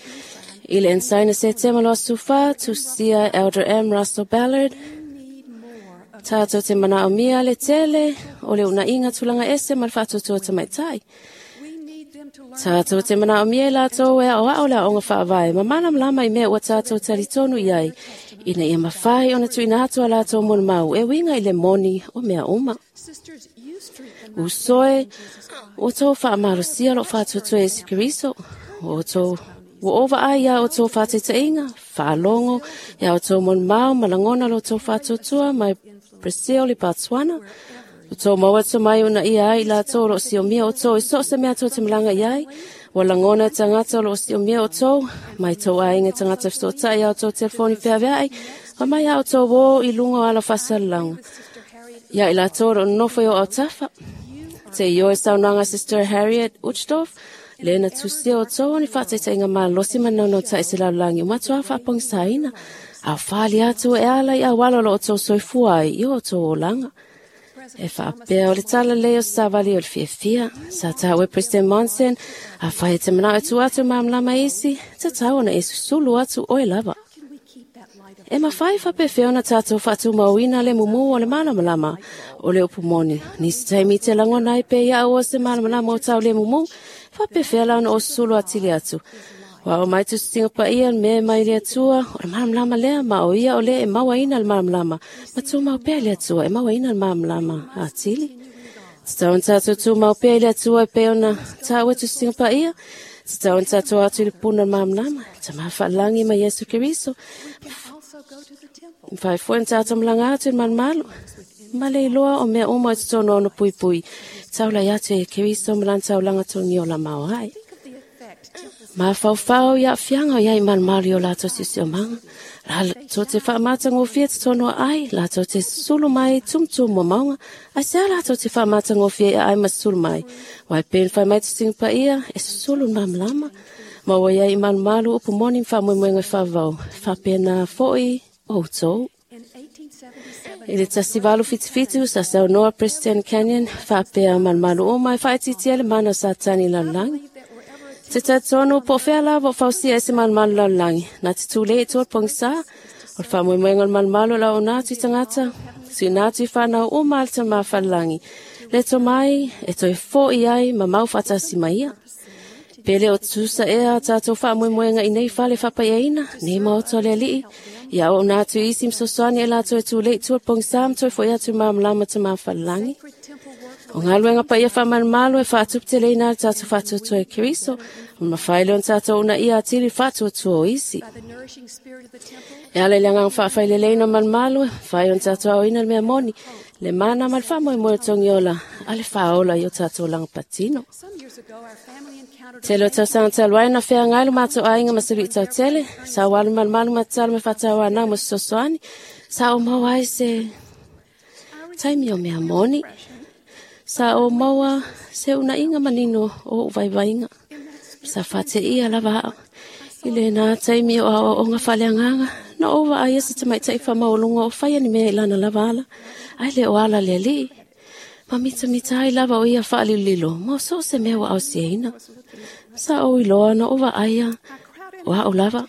I le Ensaina Setema 24, tusia Elder M. Russell Ballard. Tātou te manaomia le tele o le unaiga tulaga ese ma le faatuatua tamaitai. Tātou te manaomia i latou e aoao le aoga faavae ma malamalama i mea ua tātou talitonu i ai, ina ia mafai ona tuuina atu a latou molimau e uiga i le moni o mea uma. Usoe, ua outou faamalosia lou faatuatua Iesu Keriso, ua outou ua ova ai ia outou faataitaiga, faalogo ia outou molimau ma lagona lo outou faatuatua mai Brazil i Botswana. Outou maua tomai ona ia ai i latou o loo siomia outou i so o se mea tou te malaga i ai. Ua lagona e tagata o loo siomia outou, mai tou aiga tagata fesootai ia outou telefoni feaveai, ma mai a outou o i luga o ala faasalalauga. Ia i latou o loo nonofo i o autafa. Te ioe saunoaga Sister Harriet Uchtdorf, le na tusia outou o ni faataitaiga malosi ma naunautai se lalolagi ua matuā faapogisaina, a o fali atu e ala i auala o lo outou soifua ai i o outou olaga. E faapea o le tala lelei o se savali o le fiafia. Sa taua e President Monson, afai e te manao e tuu atu e malamalama isi, tatau ona e susulu atu oe lava. E mafai faapefea ona tatou faatumauina le mumu o le malamalama o le upu moni. Nisi taimi te lagona ai pe ia o se malamalama o tau le mumu, faapefea la ona o susulu atili atu. Ua o mai tusitiga paia le mea mai le Atua, o le malamalama lea, ma o ia o le e mauaina le malamalama, ma tumau pea le Atua e mauaina le malamalama atili. Tatau ona tatou tumau pea i le Atua e pei ona taua tusitiga paia, tatau ona tatou atu i le puna o le malamalama, Tama faalagi ma Iesu Keriso. Mafai foi ona tatou malaga atu i le malumalu, ma le iloa o mea uma i totonu o ona puipui, taulai atu e Keriso ma lana taulaga togiola maoae. Mafaufau i aafiaga o i ai i malumalu i o latou siosiomaga. Latou te faamatagofie totonu o aai, latou te susulu mai tumutumu o mauga. Aisea latou te faamatagofie i aai ma susulu mai? Aua e pei ona fai mai tusiga paia, e susulu le malamalama. Ma ua i ai i malumalu upu moni ma faamoemoega e faavavau, faapena foi outou. I le 1877, sa saunoa President Kenyon faapea malumalu uma e faaitiitia le mana o Satani i lalolagi. Te talitonu po o fea lava o fausia ai se malumalu lalolagi, na te tulei i tua le pogisa, o le faamoemoega o le malumalu o le auauna atu i tagata, tuuina atu i fanau uma a le Tama Falelagi, le tomai e toe fo'i ai ma mau faatasi ma ia. Pe le o tutusa ea a tatou faamoemoega i nei fale faapaiaina, nei maota o le Alii, ia auauna atu i isi ma fesoasoani e latou e tulei i tua le pogisa ma toe fo'i atu i malamalama Tama Falelagi. O galuega paia faamalumalu e faatuputeleina ai le tatou faatuatua e Keriso, ma mafai lea ona tatou uunaia atili le faatuatua o isi. E ala i le agaga faafaileleina o malumalu, e mafai ona tatou aoina le mea moni, le mana ma le faamoemoe o togiola a le faaola i o tatou olaga patino. Tele o tausaga talu ai na feagai lo matou aiga ma se luitau tele, sa ou alu malumalu ma tatalo ma faatauanau mo se fesoasoani, sa ou maua ai se taimi o mea moni. Sa ou maua se unaiga manino o ou vaivaiga. Sa faateia lava au. I lena taimi o aoaoga faaleagaga, na ou vaaia se tamaitai faamaualuga o faia ni mea i lana lava ala, ae le o ala le alii. Ma mitamita ai lava o ia faalilolilo mo so o se mea ua ausiaina. Sa ou iloa na ou vaaia o au lava.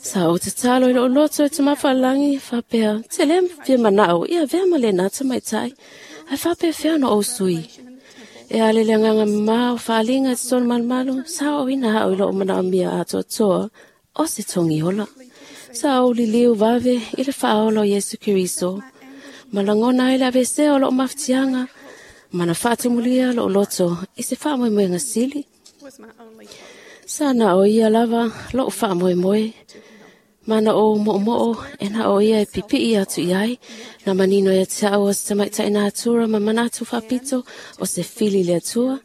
Sa ou tatalo i lou loto e Tama Faalagi, faapea, te le fia manao ia avea ma lena tamaitai, ae faapefea ona ou sui. E ale le agaga mamā o faaaliga i totonu malumalu, sa ooina au i lou manaomia atoatoa o se togiola. Sa ou liliu vave i le faaola o Iesu Keriso, ma lagona ai le aveesea o lou mafatiaga, ma na faatumulia lou loto i se faamoemoega sili. Sa na o ia lava lou faamoemoe, ma na ou moomoo e na o ia e pipii atu i ai, na manino ia te au o se tamaitai natura ma manatu faapito o se fili le Atua,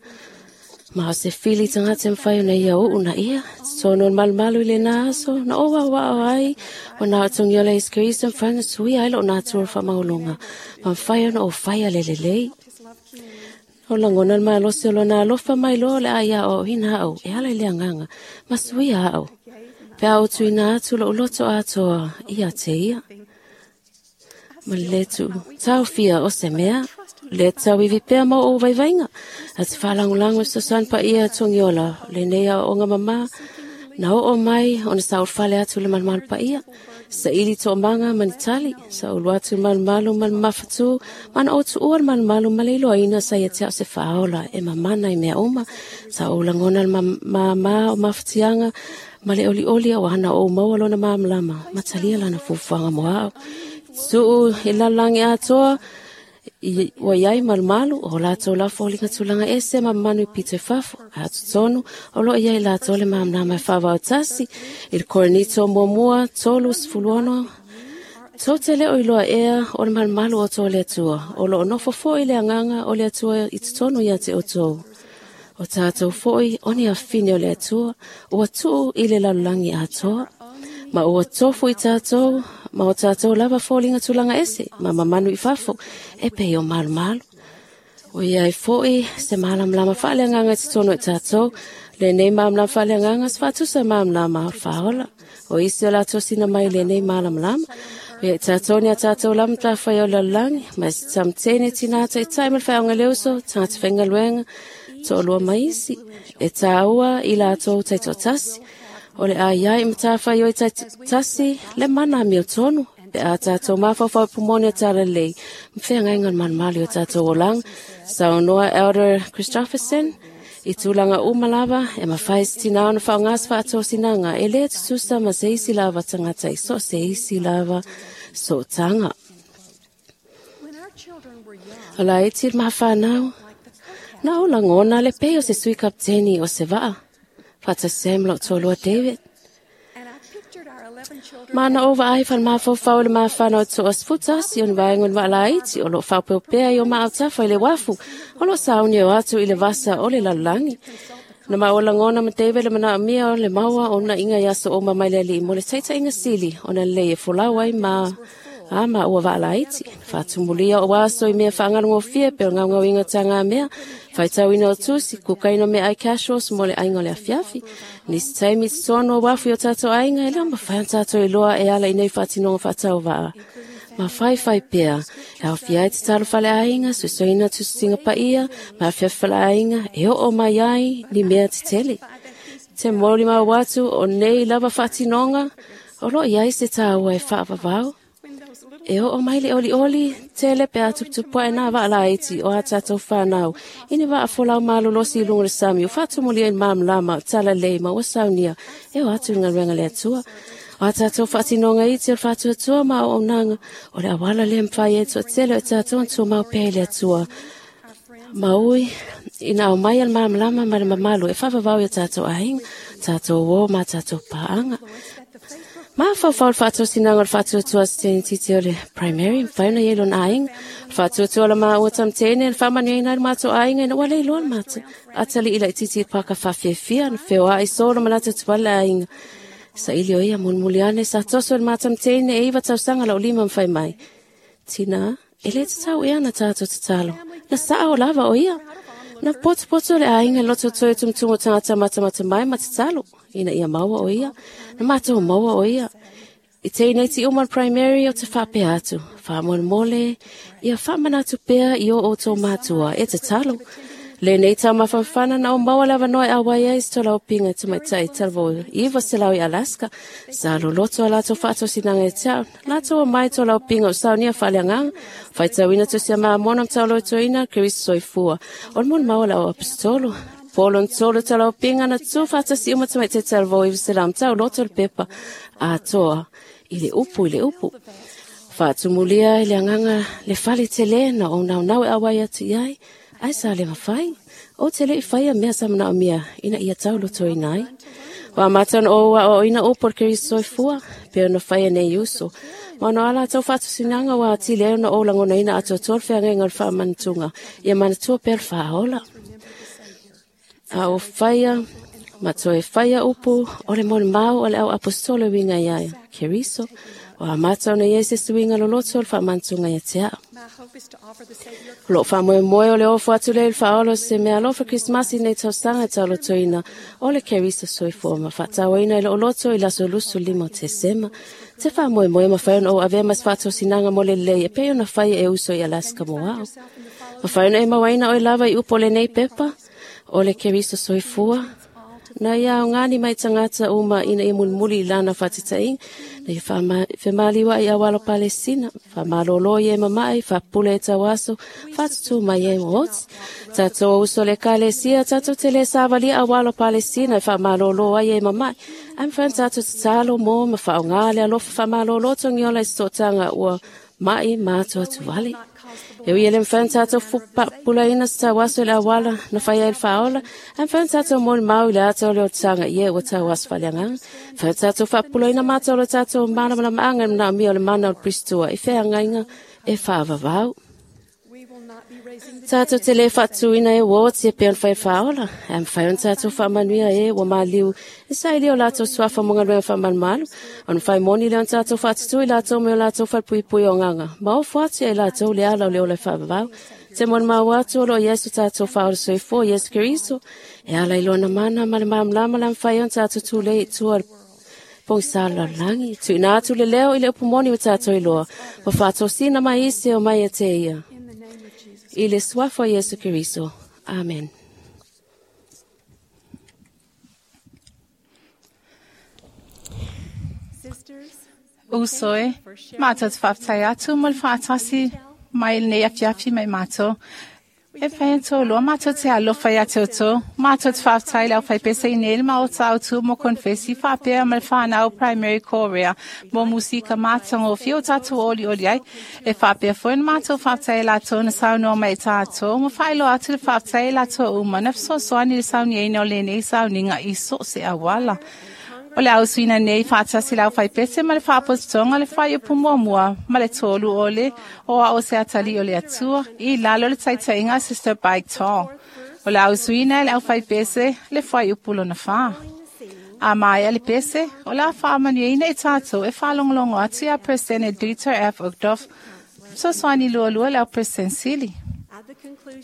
ma o se fili tagata e mafai ona ia uu na ia. Totonu o le malumalu i lena aso, na ou aoao ai o na o togiola Iesu Keriso mafai ona suia ai lou natura faamaualuga, ma mafai ona ou faia le lelei. O lagona le malosi o lona alofa mai loa o le a ia aoaoina au e ala i le agaga ma suia au, pe a ou tuuina atu lou loto atoa ia te ia. Ma le tuu taofia o se mea, le tauivi pea ma ou vaivaiga, a te faalagolago i fesoasoani paia togiola lenei aoaoga mamā, Na oo mai ona sa fale atu le malumalu paia. Sa ili to'amaga ma ni tali, sa ulu atu le malumalu ma le mafatu, ma na ou tu'ua le malumalu ma le iloaina sa ia te a'u se fa'aola e mamana i mea uma. Sa ou lagona le māmā o mafatiaga ma le olioli auā na ou maua lona malamalama ma talia lana fuafuaga mo a'u. Tu'u i lalolagi atoa, ua iai malumalu o latou lava foliga tulaga ese ma mamanu i pito i fafo, ae o totonu o loo iai latou le malamalama e faavaotasi. I le Korinito muamua 3:16, tou te le o iloa ea o le malumalu o outou le Atua, o loo nofo fo'i le agaga o le Atua i totonu ia te outou. O tatou fo'i o ni afine o le Atua, ua tuu i le lalolagi atoa, ma ua tofu i tatou, ma o tatou lava foliga tulaga ese, ma mamanu i fafo, e pei o malumalu. O iai fo'i se malamalama faaleagaga i totonu i tatou, lenei malamalama faaleagaga se faatusa malamalama o le faaola. O isi o latou sina mai lenei malamalama, o ia i tatou ni a tatou lava matafai o le lalolagi, ma se tamatene tina taitai ma le faeaoga le uso, tagata faigaluega, to'alua ma isi, e tāua i latou taitoatasi. O le ai ai matafai oi tasi le mana amio tonu, pe a tatou mafaufau pumone o tala lelei, ma feagaiga o le malumalu i o tatou olaga. Saunoa Elder Christofferson, i tulaga uma lava, e mafai se tinā ona faaaogā se faatosinaga, e lē tutusa ma se isi lava tagata i so o se isi lava sootaga. O laiti le mafanau, na ou lagona le pei o se sui kapiteni o se va'a, faatasi ai ma lo'u toalua David. Ma na ou vaai falemafaufau i le mafana o to'a 11 o ni vaega o ni va'a laiti o loo faaopeopea i o maautafa i le uafu, o loo sauni o atu i le vasa o le lalolagi. Na maua lagona ma David le manaomia o le maua o uuna'iga i aso uma mai le Alii mo le taita'iga sili ona lelei e folau ai ma a ma ua va'a laiti. Faatumulia o aso i mea faagalogofie pe o gaugauiga tagamea, faitauina o tusi, kukaina o meaai casseroles mo le aiga o le afiafi. Nisi taimi i totonu o uafu i o tatou aiga, e le o mafai ona tatou iloa e ala i nei faatinoga faatauva'a. Ma faifai pea, e aofia ai tatalo faleaiga, suesueina tusitusiga paia, ma afiafi faleaiga, e oo mai ai ni mea tetele. Te molimau atu o nei lava faatinoga, o loo iai se tāua e faavavau. E oo mai le olioli, tele pe a tuputupu ae nā va'a laiti o a tatou fanau. I ni va'a folau malolosi i luga o le sami, o faatumulia i le malamalama o tala lelei ma ua saunia, e o atu i le galuega le Atua. O a tatou faatinoga iti o le faatuatua ma auaunaga, o le auala lea mafai ai toatele o tatou ona tumau pea i le Atua. Ma ui, ina aumai a le malamalama ma le mamalu e faavavau i o tatou aiga, tatou uō ma tatou paaga. Mafaufau le faatosinaga o le faatuatua se teinititi o le primary, mafai ona iai lona aiga. Faatuatua la maua tamatene na faamanuiaina ai le matou aiga ina ua le iloa le matou atalii laititi i le paka faafiafia, na feoa'i solo ma latou tuala le aiga. Saili o ia mulimuli ane sa toso i le matamteine e 9 tausaga la'u lima ma fai mai. Tina, e lē tatau ea na tatou tatalo. Na sa'a o lava o ia. Na potopoto le aiga loto toe tumutumu o tagata matamata mai ma tatalo, ina ia maua o ia. Na matou maua o ia. I teineti uma le primary o te faapea atu. Faamolemole, ia faamanatu pea i o outou matua e tatalo. Le nei taumafafana na o maua le avanoa e auai ai se tolaupinga tamaitai talavou 900 i Alaska. Sa loloto a latou faatosinaga e te a'u. Latou omai tolaupinga o saunia faaleagaga, faitauina tusi a Mamona ma taolotoina Keriso soifua. O le molimau a le au aposetolo. Polo na tolu tolaupinga na tu faatasi uma tamaitai talavou 900 ma tauloto le pepa atoa i le upu i le upu. Faatumulia i le agaga le fale telē na ou naunau e auai atu i ai, ai sa le mafai. O te le i faia mea sa manaomia ina ia taulotoina ai. Ua amata ona ou aoaoina upu o le Keriso soifua, pe ona faia nei uso. Ma ona o a latou faatosinaga ua atili ai ona ou lagonaina atoatoa le feagaiga o le faamanatuga, ia manatua pea le faaola. A o faia, ma toe faia upu o le molimau o le au aposetolo e uiga ia Keriso, ua amata ona iai se suiga loloto o le faamanatuga ia te a'u. O lo'u faamoemoe o le ofo atu lea i le faaola o se mea alofa Kerisimasi nei tausaga e taolotoina o le Keriso soifua ma faatauaina i lo'u loto i le aso 25 o Tesema. Te faamoemoe mafai ona ou avea ma se faatosinaga mo le lelei e pei ona faia e uso i Alaska mo a'u. Mafai ona e mauaina oe lava i upu o lenei pepa, o le Keriso soifua. Na ia aogani mai tagata uma ina ia mulimuli i lana faataitaiga. Na ia femaliuaʻi auala o Palestina, faamalōlō i e mamaʻi, faapupula e tauaso, faatutū mai ai ma oti. Tatou uso le Ekalesia, tatou te lē savalia auala o Palestina e faamalōlō ai e mamaʻi. Ae mafai ona tatou tatalo mo ma faaaogā le alofa faamalōlō togiola i se toʻataga ua maʻi ma atuatuvale. E ui e le mafai ona tatou faapupulaina se tauaso i le auala na fai ai le faaola, ae mafai ona tatou molimau i le ata o le olataga i e ua tauaso faaleagaga. Mafai ona tatou faapupulaina mata o lo tatou malamalamaaga i le manaomia o le mana o le Piristua i feagaiga e faavavau. Tatou te lē faatuina e ua oti e pei ona fai faaola, ae mafai ona tatou faamanuia e ua maliu e sailia o latou suafa mo galuega faamalumalu, ona fai moni lea ona tatou faatutū i latou mai o latou falepuipui o agaga, ma ofo atu ia i latou le ala o le ola e faavavau. Te molimau atu o loo i ai so tatou faaola soifua Iesu Keriso, e ala i lona mana ma le malamalama le a mafai ona tatou tulei i tua o le pogisa o le lalolagi. Tuuina atu le leo i le upu moni ua tatou iloa, ua faatosina mai isi e omai ia te ia. I le suafa o Iesu Keriso. Amen. Uso e, matou te faafetai atu mo le faatasi mai i lenei afiafi mai matou. E fai ona loa matou te alofa ia te outou. Matou te faafetai i le aufaipese i nei le maota autū mo konefesi faapea ma le whanau Primary Korea mo musika matagofie o tatou olioli ai. E faapea foi ona matou faafetai i latou na saunoa mai i tatou ma faailoa atu le faafetai i latou uma na fesoasoani i le sauniaina o lenei sauniga i so o se auala. O le ausuina nei faatasi le aufaipese ma le faapotopotoga le fuaiupu muamua ma le tolu o le o ao se atalii o le Atua i lalo o le taitaiga a Sister Bike Tall. O le ausuina e le aufaipese le fuaiupu lona fā. A maea le pese, o le a faamanuiaina i tatou e faalogologo atu ia President Dieter F. Uchtdorf, fesoasoani lualua le au President Sili.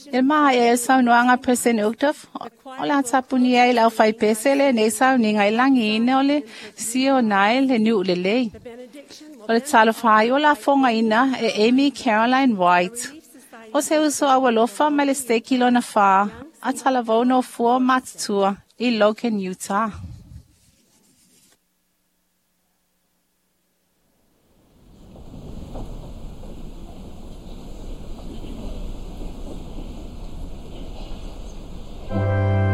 I le maea e saunoaga President Uchtdorf, o le a tapunia ai le aufaipese lenei sauniga i lagiina o le Sionae le nuʻu lelei. O le talofa ai o lafogaina e Amy Caroline White. O se uso aualofa mai le steki lona fā, a talavou nofua matutua i Logan, Utah. I am a child of God.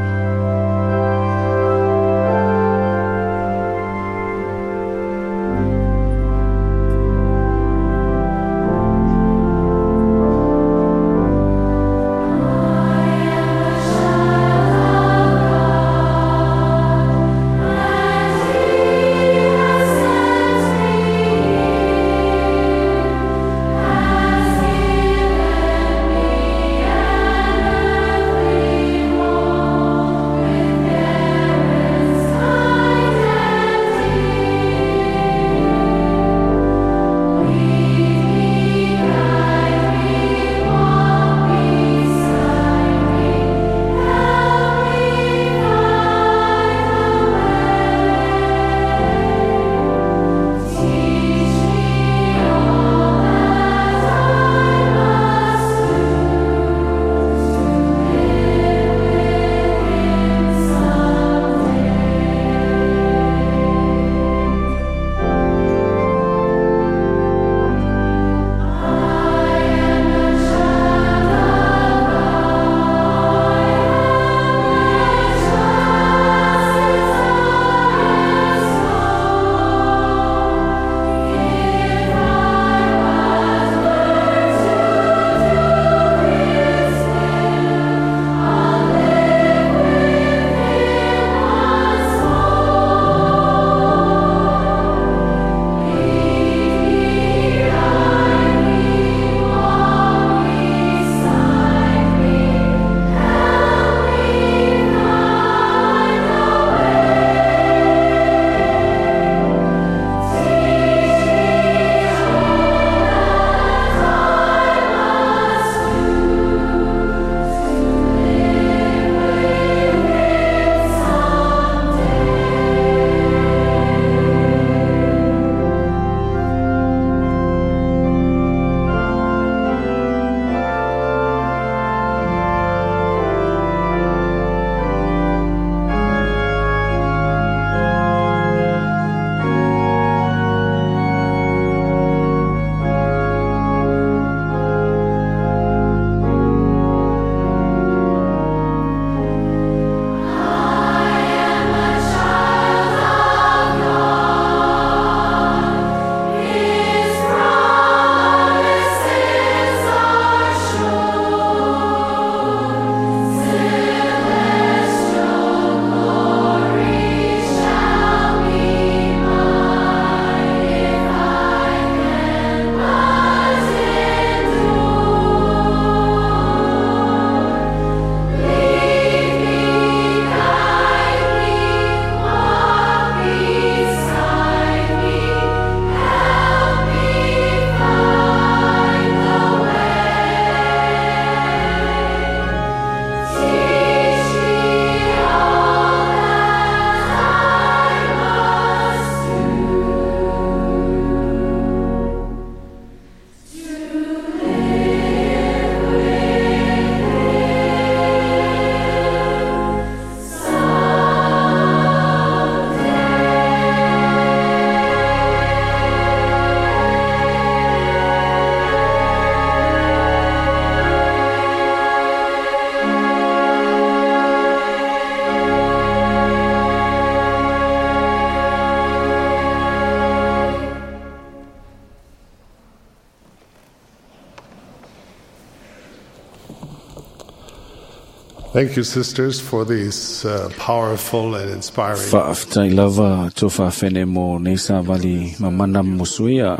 Thank you, sisters, for these powerful and inspiring. Faafetai lava tuafafine mo nei savali mamana musuia.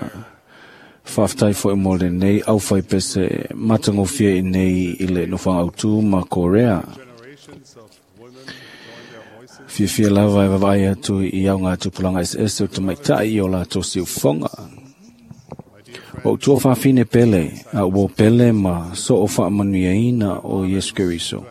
Faafetai foi mo lenei aufaipese matagofie i nei i le nofoaga autū ma Korea. Fiafia lava e vaavaai atu i auga tupulaga eseese o tamaitai i o latou siufofoga. O ua fafine pele, a ua pele ma soo faamanuiaina o Iesu Keriso.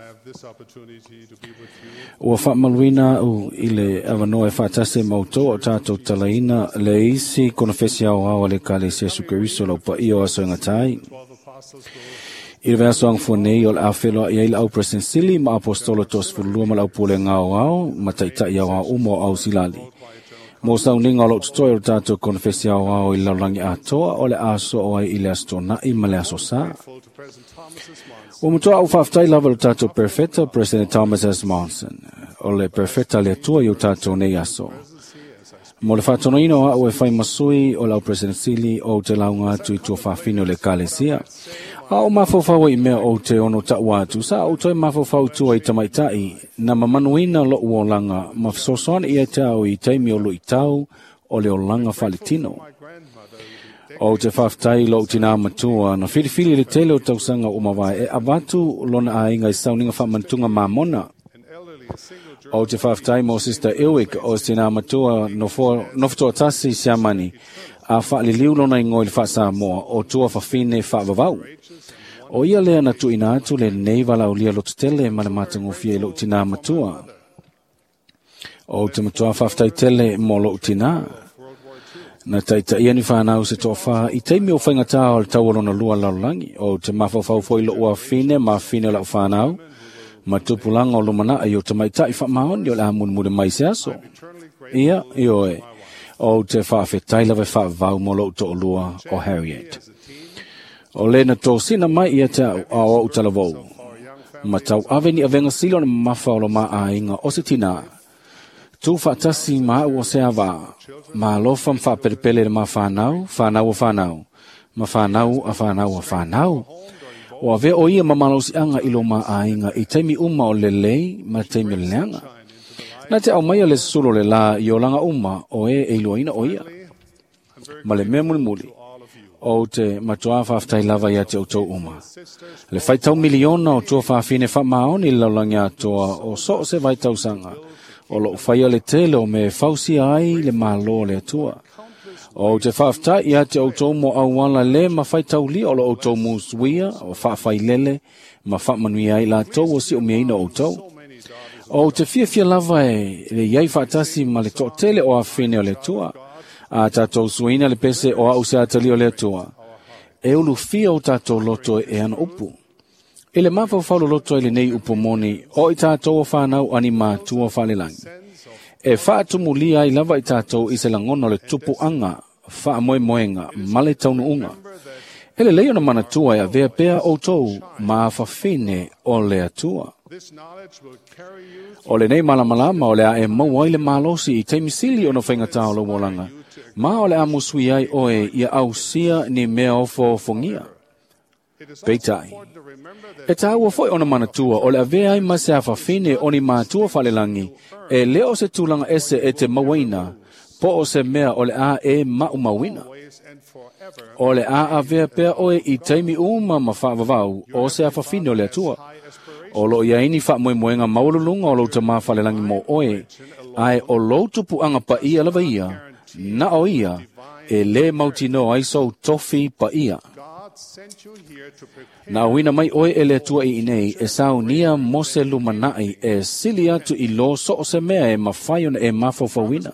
Ua faamaluina au i le avanoa e faatasi ma outou o tatou talaina le isi konofesi aoao a le Ekalesia Iesu Keriso lau paia o aso e gatai. I le vaiaso agafua nei o le a feloai ai le au President Sili ma Apostolo 32 ma le au pulega aoao ma taitai aoao uma o Ausilali. Mo sauniga o loo totoe o le tatou konofesi aoao i le lalolagi atoa o le a soo ai i le aso Tona'i ma le aso Sā. Ua matua au faafetai lava i le tatou Perfeta, President Thomas S. Monson, o le Perfeta le Atua i o tatou nei aso. Mo le faatonuina o a'u e fai masui o le au President Sili o te lauga atu i tuafafine o le Ekalesia. A o mafaufau ai i mea o te ono taʻua atu, sa ou toe mafaufau i tua i tamaitai, na mamanuina loʻu olaga ma fesoasoani ia te au i taimi o luʻitau o le olaga faaletino. O te faafetai loʻu tinā matua na filifili i le tele o tausaga ua mavae e avatu lona aiga i sauniga faamanatuga mamona. O te faafetai mo Sister Ewick o se tinā matua nofotoatasi Siamani a faaliliu lona igoa i le faasamoa o tua fafine faavavau. O ia lea na tuuina atu lenei valaaulia lototele ma le matagofie i lou tinā matua. O te matua faafetai tele mo lou tinā. Na taitaia ni whanau se toa i taimi o whaingatā o le tau o lona lua lalolagi. O te mafaufau foi lou afine ma afine o lau whanau. Ma tupulaga o lumanai i o tamaitai faamaoni o le a mulimuli mai se aso. Ia, ioe, o te faafetai lava e faavavau mo lou toʻalua o Harriet. O le na tosina mai ia te au a o au talavou. Ma tau ave ni avega sili o na mamafa o lo maʻaiga o se tinā. Tu faatasi ma au o se avā. Ma alofa ma faapelepele le mafanau, fanau o fanau. Ma fanau a fanau a fanau. O avea o ia ma malosiaga i lo maʻaiga i taimi uma o lelei ma taimi o le leaga. Na te aumaia le susulu o le lā i olaga uma o e e iloaina o ia. Ma le mea mulimuli, o te matuā faafetai lava ia te outou uma. Le faitau miliona o tuafafine faamaoni i le lalolagi atoa o so o se vaitausaga o loo faia le tele o me e fausia ai le Malo o le Atua. O te faafetai ia te outou mo auala le ma faitaulia o lo outou musuia o faafailele ma faamanuia ai latou o siumiaina o outou. O te fiafia lava e le iai faatasi ma le toatele o afine o le Atua. A tatou suaina le pese o au se atalia o le Atua. E ulufia o tatou loto e ana upu. I le mafaufau loloto ai lenei upu moni o i tatou o whanau ani matua faalelagi. E faatumulia ai lava i tatou i se lagona o le tupuaga, faamoemoega ma le taunuuga. E lelei ona manatua e avea pea outou ma afafine o le Atua. O lenei malamalama o le a e maua ai le malosi i taimi sili ona faigata o lou olaga, ma o le a musui ai oe ia ausia ni mea ofoofogia. Peitai, e tāua foi ona manatua o le avea ai ma se afafine o ni matua faalelagi, e le o se tulaga ese e te mauaina, po o se mea o le a e maumauina. O le a avea pea oe i taimi uma ma faavavau o se afafine o le Atua. O loo iai ni faamoemoega maualuluga o lou tamā faalelagi mo oe, ae o lou tupuaga paia lava ia, na o ia, e lē mautinoa ai sou tofi paia. Na auina mai oe e le Atua i inei e saunia mo se lumanai e sili atu i lo so o se mea e mafai ona e mafaufauina.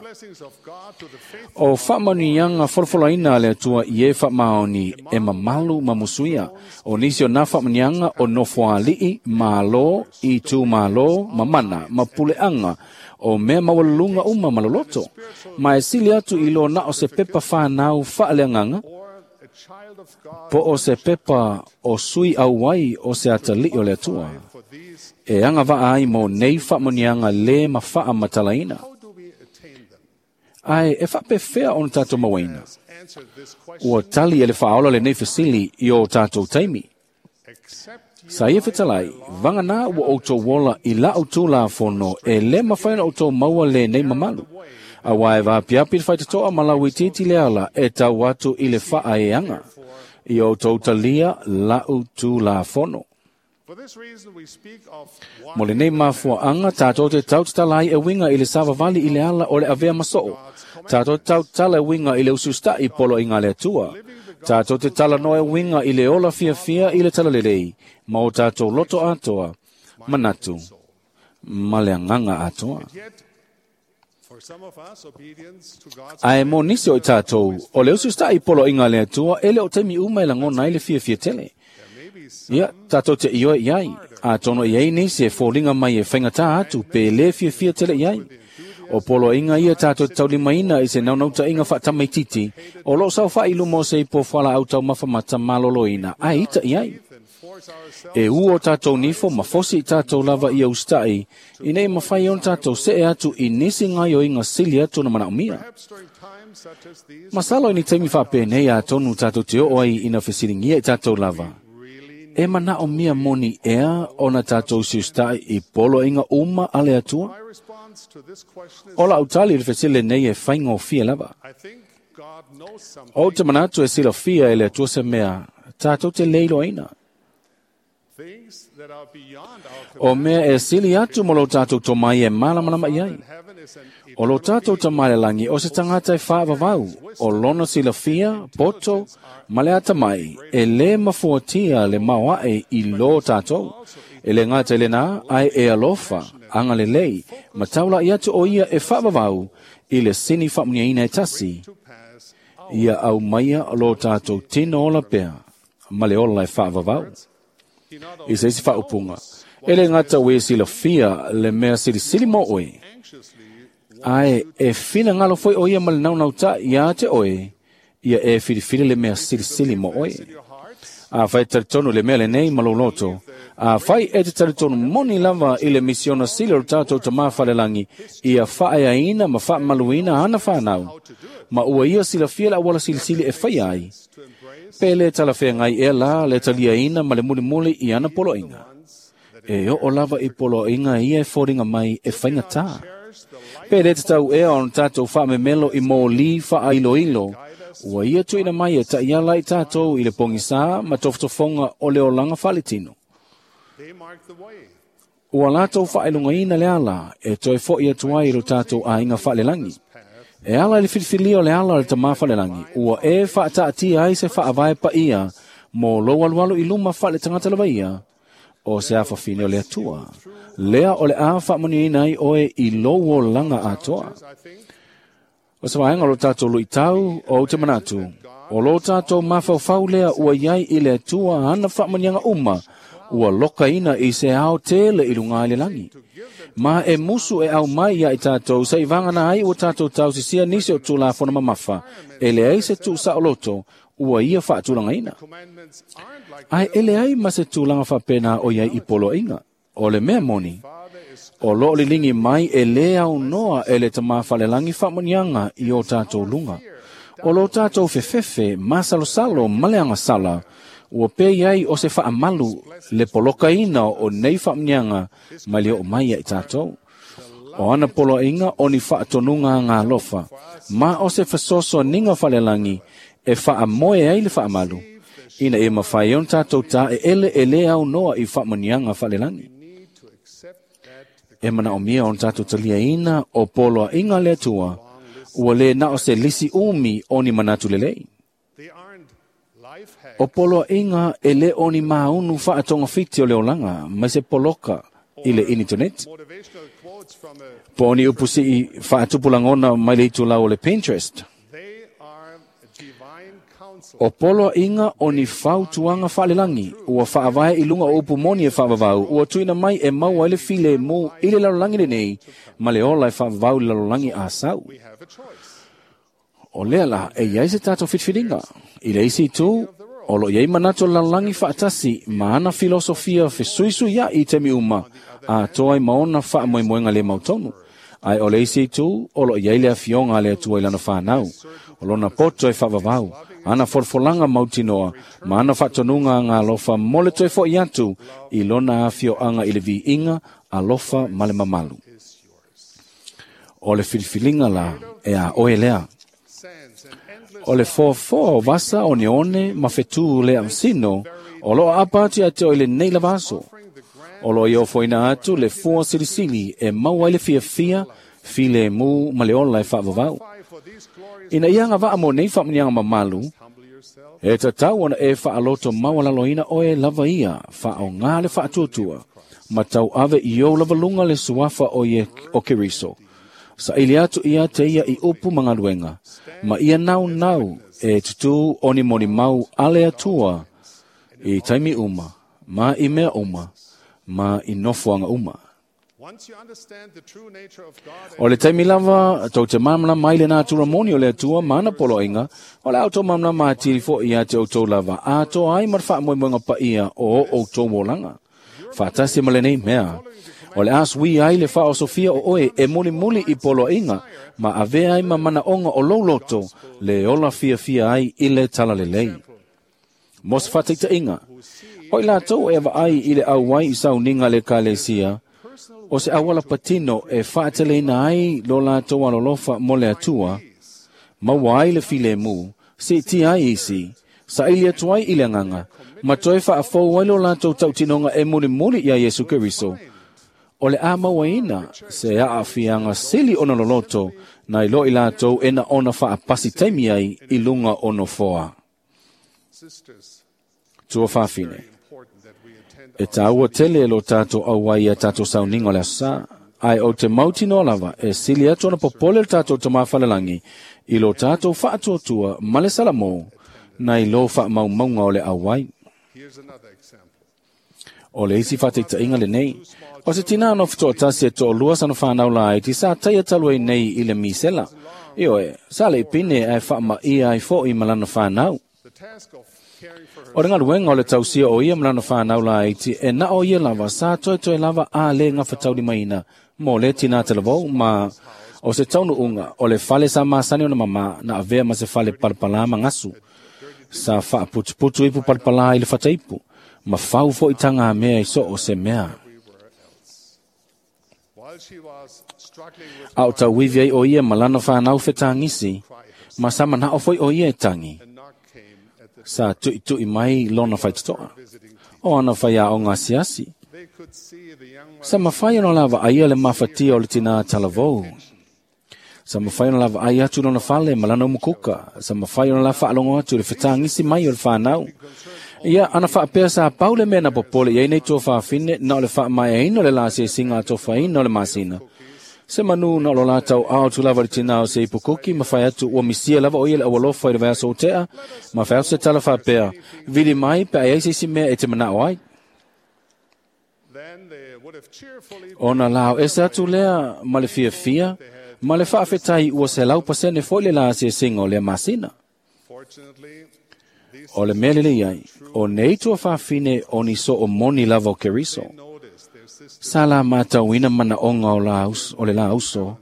O faamanuiaga folafolaina a le Atua i e faamaoni e mamalu ma musuia. O nisi o nā faamanuiaga o nofoalii, malo, i tūmalo, ma mana, ma puleaga, o mea maualuluga uma ma loloto. Ma e sili atu i lo na o se pepa whanau faaleagaga, po o se pepa o sui auai o se atalii o le Atua. E agavaa ai mo nei faamanuiaga lē ma faamatalaina. Ae e faapefea ona tatou mauaina. Ua tali e le faaola lenei fesili i o tatou taimi. Sa ia fetalai, vagana ua outou ola i la'u Tulafono e lē mafai ona outou maua lenei mamalu. Auā e vaapiapi le faitotoa ma lauitiiti le ala e tau atu i le faaeaga. Ia outou talia la'u Tulafono. Mo lenei mafuaaga tatou te tautatala ai e uiga i le savavali i le ala o le avea ma soo. Tatou te tautatala e uiga i le usiusitaʻi poloaiga a le Atua. Tatou te talanoa e uiga i le ola fiafia i le talalelei ma o tatou loto atoa, manatu ma le agaga atoa. Ae mo nisi o i tatou, o le usiusitaʻi poloaiga a le Atua e le o taimi uma e lagona ai le fiafia tele. Ia, tatou te ioe i ai, atonu e i ai nisi e foliga mai e faigatā atu pe lē fiafia tele i ai. O poloaiga ia tatou te taulimaina i se naunautaiga faatamaititi o loo saofaʻi i luma o se ipo fualaau taumafa mata maloloina ae ita i ai. E ua o tatou nifo ma fosi i tatou lava ia usitaʻi ina ia mafai ona tatou see atu i nisi gaoioiga sili atu ona manaomia. Masalo i ni taimi faapenei atonu tatou te oo ai ina fesiligia i tatou lava. E manaomia moni ea ona tatou usiusitaʻi i poloaiga uma a le Atua? O la'u tali i le fesili lenei e faigofie lava. Ou te manatu e silafia e le Atua se mea tatou te lē iloaina. O mea e sili atu ma lo tatou tomai e malamalama i ai. O lo tatou Tama i le lagi o se tagata e faavavau, o lona silafia, poto, ma le atamai, e lē mafuatia le maoaʻe i lō tatou. E lē gata i lenā, ae e alofa, agalelei, ma taulaʻi atu o ia e faavavau i le sini faamuniaina e tasi. Ia aumaia lo tatou tino ola pea, ma le ola e faavavau. I se isi faaupuga, e lē gata ua ia silafia le mea silisili mo oe, ae e finagalo foi o ia ma le naunautaʻi iā te oe, ia e filifili le mea silisili mo oe. Afai e talitonu i le mea lenei ma lou loto, afai e te talitonu moni lava i le misiona sili o le tatou Tamā falelagi ia faaeaina ma faamaluina ana fanau, ma ua ia silafia le auala silisili e faia ai, pe lē talafeagai ea la le taliaina ma le mulimuli i ana poloaiga. E oo lava i poloaiga ia e foliga mai e faigatā. Pe lē tatau ea ona tatou faamemelo i mōlī faailoilo, ua ia tuuina mai e taʻiala i tatou i le pogisā ma tofotofoga o le olaga faaletino. Ua latou faailogaina le ala e toe foʻi atu ai i lo tatou aiga faalelagi. E ala i le filifilia o le ala o le Tamā falelagi, ua e faataatia ai se faavae paia mo lou alualu i luma faaletagata lava ia, o se afafine o le Atua. Lea o le a faamanuiaina ai oe i lou olaga atoa. O se vaega o lo tatou luitau o ou te manatu, o lo tatou mafaufau lea ua iai i le Atua ana faamanuiaga uma, ua lokaina i se ao tele i luga i le lagi. Ma e musu e aumai ia i tatou seʻi vagana ai ua tatou tausisia nisi o Tulafono mamafa, e leai se tuusaoloto ua ia faatulagaina. Ae e leai ma se tulaga faapena o iai i poloaiga. O le mea moni, o loo liligi mai e lē aunoa e le Tamā falelagi faamanuiaga i o tatou luga. O lo tatou fefefe, masalosalo ma le agasala, ua pei ai o se faamalu le polokaina o nei faamanuiaga mai le oo mai ia i tatou. O ana poloaiga o ni faatonuga agalofa, ma o se fesoasoaniga falelagi e faamoe ai le faamalu, ina ia mafai ai ona tatou taeele e lē aunoa i faamanuiaga falelagi. E manaomia ona tatou taliaina o poloaiga a le Atua, ua lē na o se lisi umi o ni manatu lelei. O poloaiga e lē o ni māunu faatogafiti o le olaga mai se poloka i le initaneti, po o ni upu sii faatupu lagona mai le itulau o le Pinterest. O poloaiga o ni fautuaga faalelagi ua faavae i luga o upu moni e faavavau ua tuuina mai e maua ai le filemu i le lalolagi lenei ma le ola e faavavau i le lalolagi asau. O lea la e iai se tatou filifiliga. I le isi itu, o loo iai manatu o le lalolagi faatasi ma ana filosofia fesuisuiaʻi i taimi uma, atoa ai ma ona faamoemoega lē mautonu. Ae o le isi itu, o loo iai le afioga a le Atua i lana fanau, o lona poto e faavavau, ana folafolanga mautinoa, ma ana faatonuga agalofa mo le toe fo'i atu i lona afioaga i le viiga, alofa ma le mamalu. O le filifiliga la e a oe lea. O le foafoa o vasa oneone ma fetū le ausino, o loo aapa atu ia te oe lenei lava aso. O loo ia ofoina atu le fua silisili e maua ai le fiafia, filemu ma le ola e faavavau. Ina ia agavaa mo nei faamuniaga mamalu, e tatau ona e faaloto maualaloina oe lava ia faaogā le faatuatua, ma tauave i ou lava luga le suafa o Keriso. Saili atu ia te ia i upu ma galuega, ma ia naunau e tutū onimolimau a le Atua i taimi uma, ma i mea uma, ma i nofoaga uma. O le taimi lava, tou te malamalama ai le natura moni o le Atua ma ana poloaiga, o le a outou malamalama atili fo'i ia te outou lava, atoa ai ma le faamoemoega paia o o outou olaga. Faatasi ma lenei mea, o le a sui ai le faaosofia o oe e mulimuli i poloaiga, ma avea ai ma manaoga o lou loto, le ola fiafia ai i le talalelei. Mo se faataitaiga, o i latou e vaai i le auai i sauniga le ekalesia, o se auala patino e faateleina ai lo latou alolofa mo le Atua, maua ai le filemu, siitia ai isi, saili atu ai i le agaga, ma toe faafou ai lo latou tautinoga e mulimuli ia Iesu Keriso. O le a mauaina se aafiaga sili ona loloto nai lo i latou e na ona faapasi taimi ai i luga o nofoa. Tua faafine, e tāua tele lo tātou auai ia tātou sauniga o le aso sā, ae o te mautinoa lava e sili atu ona popole le tātou Tamā Falelangi i lo tātou faatuatua ma le salamō nai lo faamaumauga o le auai. O le isi faataitaiga lenei, o se tinā no fetoatasi e toalua sana whanau laiti sa taia talu ai nei i le misela. Ioe, sa le ipine ae faamaia ai fo'i ma lana whanau. O le galuega o le tausia o ia ma lana whanau laiti e na o ia lava sa toe lava a le gafatauli mo le tinā talavou ma o se taunuuga o le fale sa masani ona mama na avea ma se fale palapalā ma gasu. Sa faaputuputu ipu palapalā i le fataipu, ma fau fo'i taga mea i so o se mea. A o tauivi ai o ia ma lana whanau fetagisi, ma sa manao foi o ia e tangi. Sa tuitui mai lona faitotoa, o ana whaiaoga asiasi. Sa mawhai ona lava aia le mafatia o le tina talavou. Sa mawhai ona lava ai atu lona fale ma lana umukuka. Sa mawhai ona la whaalongo atu le fetagisi mai o le whanau. Ia, ana whaapea sa paule mea na popole ia nei tua whaafine na o le whaamaeaina o le la asiasiga atofaina o le masina. Se manu na o lo latau ao tu lava le tina o se ipukuki ma whai atu ua misia lava o ia le awalofa i le vaiaso o tea, ma whai atu se tala whaapea, vili mai pe ai se isi mea e te manao ai. Ona lao ese atu lea ma le fiafia, ma le faafetai ua 100% foi le la asiasiga o lea masina. O le mea lelei ai, o nei tua faafine o ni so o moni lava o Keriso. Sa la matauina manaoga o le la uso,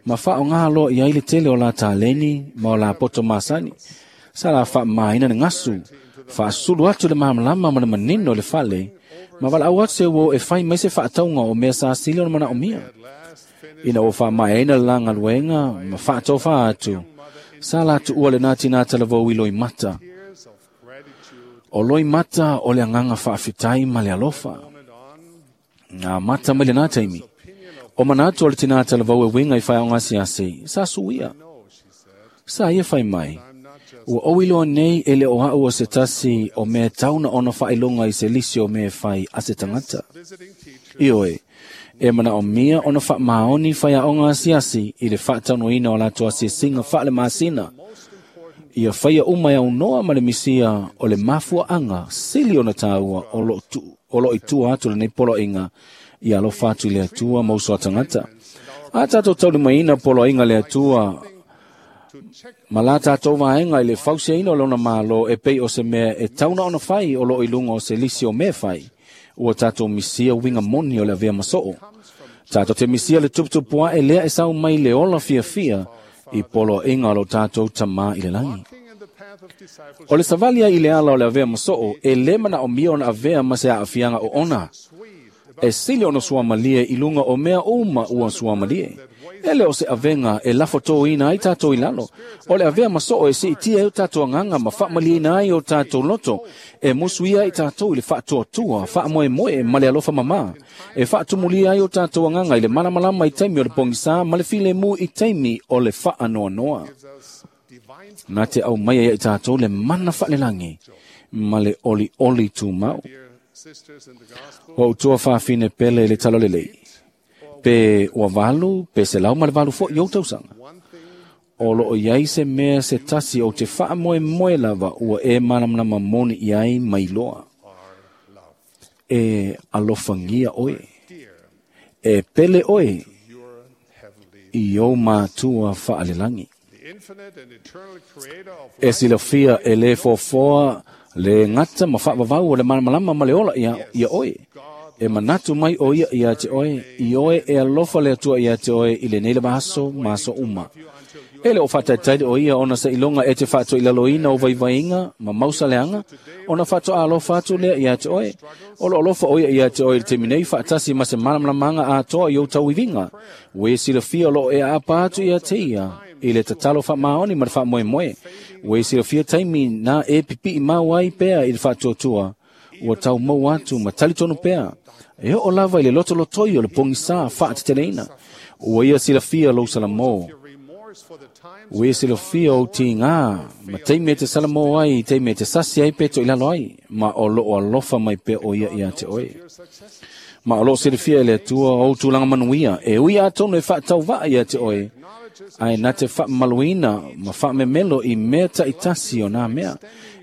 ma faaaogā loa i ai le tele o la taleni ma o la poto masani. Sa la faamaina le gasu, faasulu atu le malamalama ma le manino o le fale, ma valaau atu se uo e fai mai se faatauga o mea sa sili ona manaomia. Ina ua faamaeaina le la galuega ma faatofā atu, sa la tuua lenā tinā talavou i loimata. O loimata o le agaga faafetai ma le alofa. Ngā mata mai lenā taimi. O manatu o le tinā talavou e winga i whaiaoga asiasi, sa suia. Sa ia whai mai. Ua oiloa nei e le o au o se tasi o mea tauna ona whailonga i se lisi o mea whai a se tangata. Ioe, e mana o mia ona whaamaoni whaiaoga asiasi i le whaataunoina o latou asiasiga faale masina. Ia whaia uma au noa ma le misia o le mafuaanga sili ona tāua o lo i tua atu lenei poloaiga ia alofa atu i le Atua ma uso a tagata. A tatou taulimaina poloaiga le Atua ma la tatou vaega i le fausiaina o lona malo e pei o se mea e tauna ona fai o loo i luga o se lisi o mea fai. Ua tatou misia uiga moni o le avea masoo. Tatou te misia le tuputupuae e lea e sau mai le ola fiafia i poloaiga o lo tatou Tamā i le lagi. O le savali ai i le ala o le avea ma soo, e le manaomia ona avea ma se aafiaga oona. E sili ona suamalie i luga o mea uma ua suamalie. E le o se avega e lafotōina ai tātou i lalo. O le avea ma soo e siitia ai o tātou agaga ma faamalieina ai o tātou loto. E musuia ai tātou i le faatuatua, faamoemoe ma le alofa mamā. E faatumulia ai o tātou agaga i le malamalama i taimi o le pogisā ma le filemu i taimi o le faanoanoa. Na te aumaia ia i tātou le mana faalelagi ma le olioli tumau. Ua outou faafine pele i le talalelei. Pe ua 8, pe 108 fo'i ou tausaga. O loo iai se mea se tasi o te faamoemoe lava ua e malamalama moni i ai mai loa. E alofagia oe. E pele oe i ou matua faalelagi. E silafia e le foafoa le gata ma faavavau o le malamalama ma le ola ia oe. E manatu mai o ia ia te oe, i oe e alofa le Atua ia te oe i lenei lava aso ma aso uma. E le o faataitai o ia ona seiloga e te faatoilaloina o vaivaiga ma mausaleaga, ona faatoa alofa atu lea ia te oe. O lo alofa o ia ia te oe i le taimi nei faatasi ma se malamalamaga atoa i ou tauiviga. Ua e silafia o loo e aapa atu ia te ia i le tatalo faamaoni ma le faamoemoe. Ua e silafia taimi na e pipii mau ai pea i le faatuatua. Ua tau mau atu ma talitonu pea. E oo lava i le lotolotoi o le pogisā faateteleina. Ua ia silafia lou salamō. Ua ia silafia ou tigā ma taimi e te salamō ai, taimi e te sasi ai pe toilalo ai, ma o loo alofa mai pea o ia ia te oe. Ma o loo silafia e le Atua ou tulaga manuia, e ui atonu e faatauvaa ia te oe, ae na te faamamaluina ma faamemelo i mea taitasi o nā mea.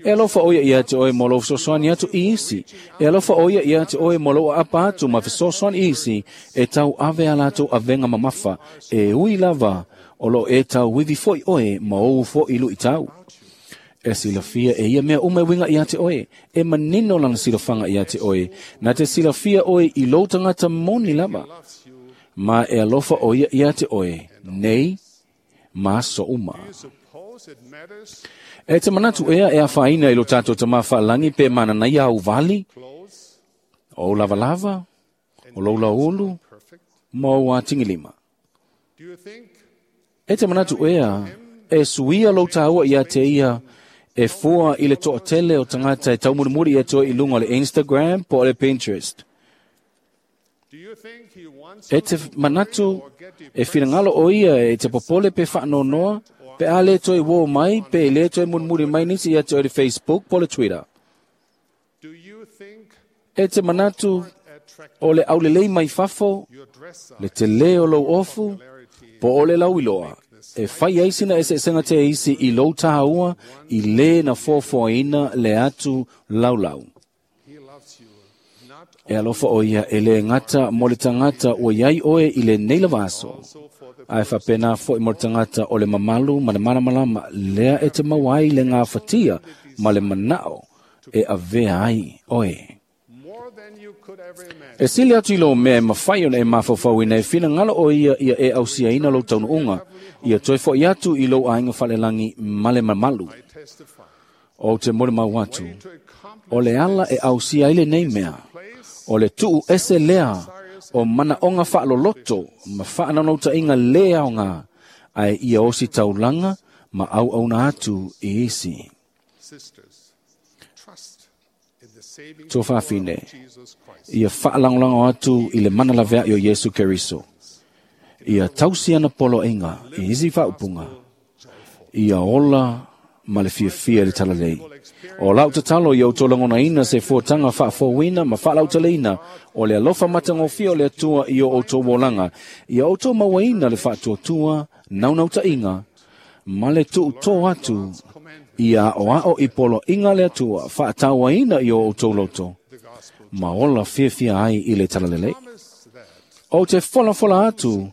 E alofa o ia ia te oe mo lou fesoasoani atu i isi. E alofa o ia ia te oe mo lou aapa atu ma fesoasoani i isi e tau ave a latou avega mamafa. E ui lava o loo e tau ivi fo'i oe ma ou fo'i luitau. E silafia e ia mea uma e uiga ia te oe. E manino lana silafaga ia te oe. Na te silafia oe i lou tagata moni lava. Ma e alofa o ia ia te oe, nei ma aso uma. E te manatu ea e afaina i lo tātou tamā faalagi pe mananaia au vali, o lavalava, o lou laulu, ma ou atigilima. E te manatu ea e suia lou tāua ia te ia e fua i le toatele o tagata e taumulimuli ia te oe i luga o le Instagram po o le Pinterest. E te manatu e finagalo o ia e te popole pe faanonoa pe a le toe uō mai pe le toe mulimuli mai nisi ia te oe le Facebook po le Twitter. E te manatu o le aulelei mai fafo, le telē o lou ofu, po o le lauiloa, e fai ai sina eseesega te isi i lou tāua i lē na foafoaina le atu laulau. E alofa o ia e le gata mo le tagata ua iai oe i lenei lava aso. Ae faapena fo'i mo le tagata o le mamalu ma le malamalama lea e te maua ai le gafatia ma le manao e avea ai oe. E sili atu i lou mea e mafai ona e mafaufauina e finagalo o ia ia e ausiaina lou taunuuga, ia toe fo'i atu i lou aiga faalelagi ma le mamalu. O te molimau atu, o le ala e ausia ai lenei mea, o le tuu ese lea o manaoga faaloloto ma faanaunautaiga lē aogā, ae ia osi taulaga ma auauna atu i isi. Tuafafine, ia faalagolago atu i le mana laveai o Iesu Keriso. Ia tausi ana poloaiga i isi faaupuga. Ia ola ma le fiafia i le talalei. O lau tatalo ia outou lagonaina se fuataga faafouina ma faalautaleina o le alofa matagofie o le Atua i o outou olaga. Ia outou mauaina le faatuatua, naunautaiga, ma le tuutō atu ia aoao i poloaiga le Atua faatauaina i o outou loto, ma ola fiafia ai i le talalelei. O te folafola atu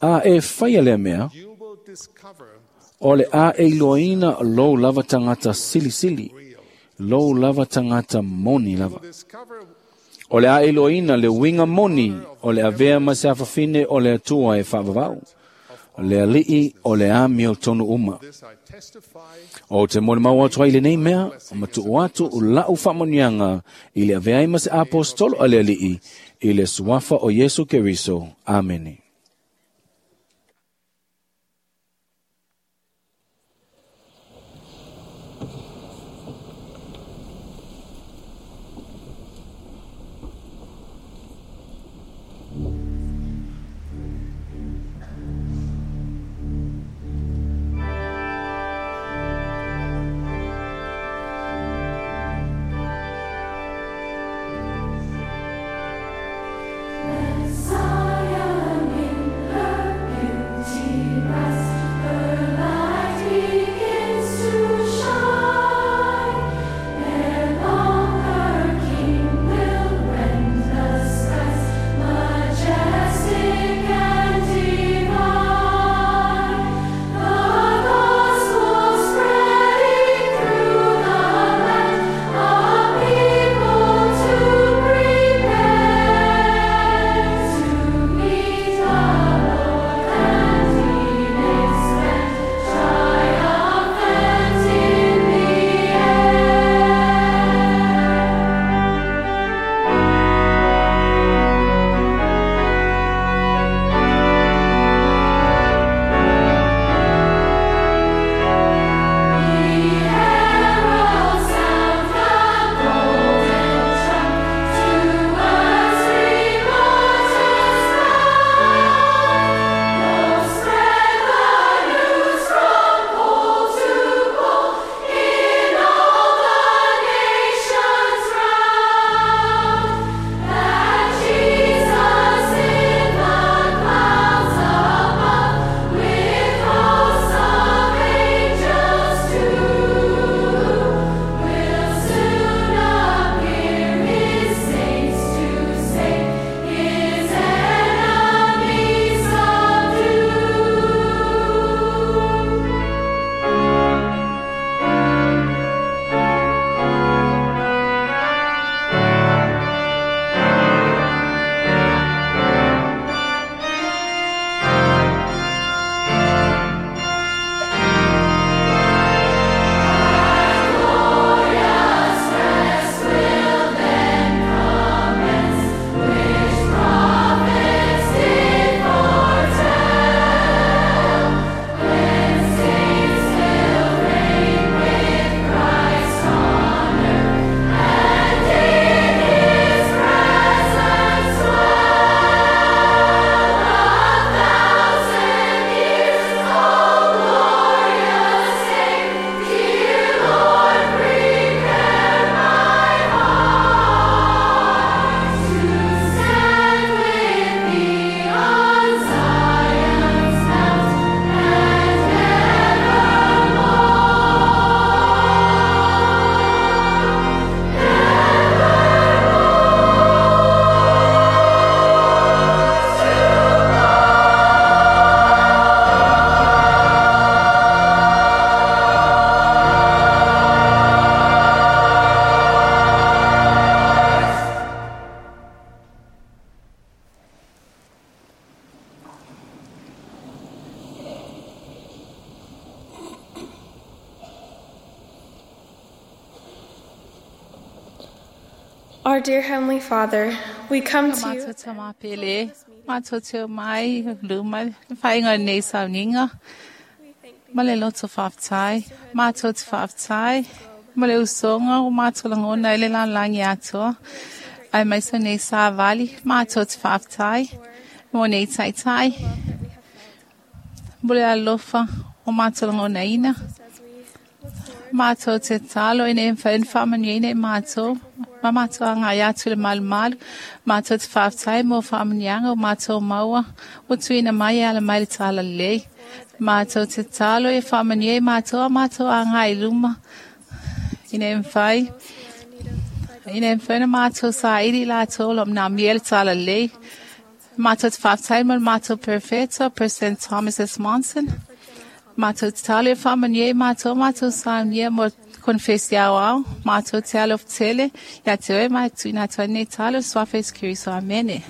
a e faia lea mea, o le a e iloaina lou lava tagata silisili, lou lava tagata moni lava. O le a e iloaina le uiga moni o le avea ma se afafine o le Atua e faavavau. Le ali'i o le amiotonu uma. O te molimau atu ai lenei mea, ma tuu atu la'u faamanuiaga i le avea ai ma se aposetolo a le Ali'i i le suafa o Iesu Keriso. Amene. Zion in her beauty rests, her light begins to shine. Ere long her King will rend the skies, majestic and divine. The gospel spreading through the land, a people to prepare to meet the Lord and He may stand triumphant in the air. The herald sound the golden trump to earth's remotest bound. Go spread the news from pole to pole in all the nations round that Jesus in the clouds above with hosts of angels too will soon appear his saints to save, his enemies subdue. Glorious rest will then commence, which prophets did foretell, when saints will reign with Christ on earth, and in His presence dwell 1,000 years. Oh, glorious day, dear Lord, prepare my heart to stand with Thee on Zion's mount and Our dear Heavenly Father, we come to you. Mātou te mapele, mātou te o mai, luma, whainga nei sauniga. Ma le loto whaftai, mātou te whaftai, ma le usonga o mātou langona i le langi atoa. Ai mai sa nei sa vali, mātou te whaftai, mo nei taitai. Mo le alofa o mātou langona ina. Mātou te talo i nei whaemanuia i mātou. Ma mātou anga i atu le malu malu. Mātou te whaftai mo whaamanianga o mātou maua. O tuina mai ala mai le tala lei. Mātou te talo e whaamania i mātou a mātou anga i luma. I nei mwhai. I nei mwhaina mātou sa iri lātou lo mna miele tala lei. Mātou te whaftai mo mātou perfecto, President Thomas S. Monson. Mātou te talo e whaamania i mātou, mātou sa mia mo konfesi au au, mātou te alo tele, ia te oe mai tuina atu nei talo, suafa Iesu Keriso. Amene.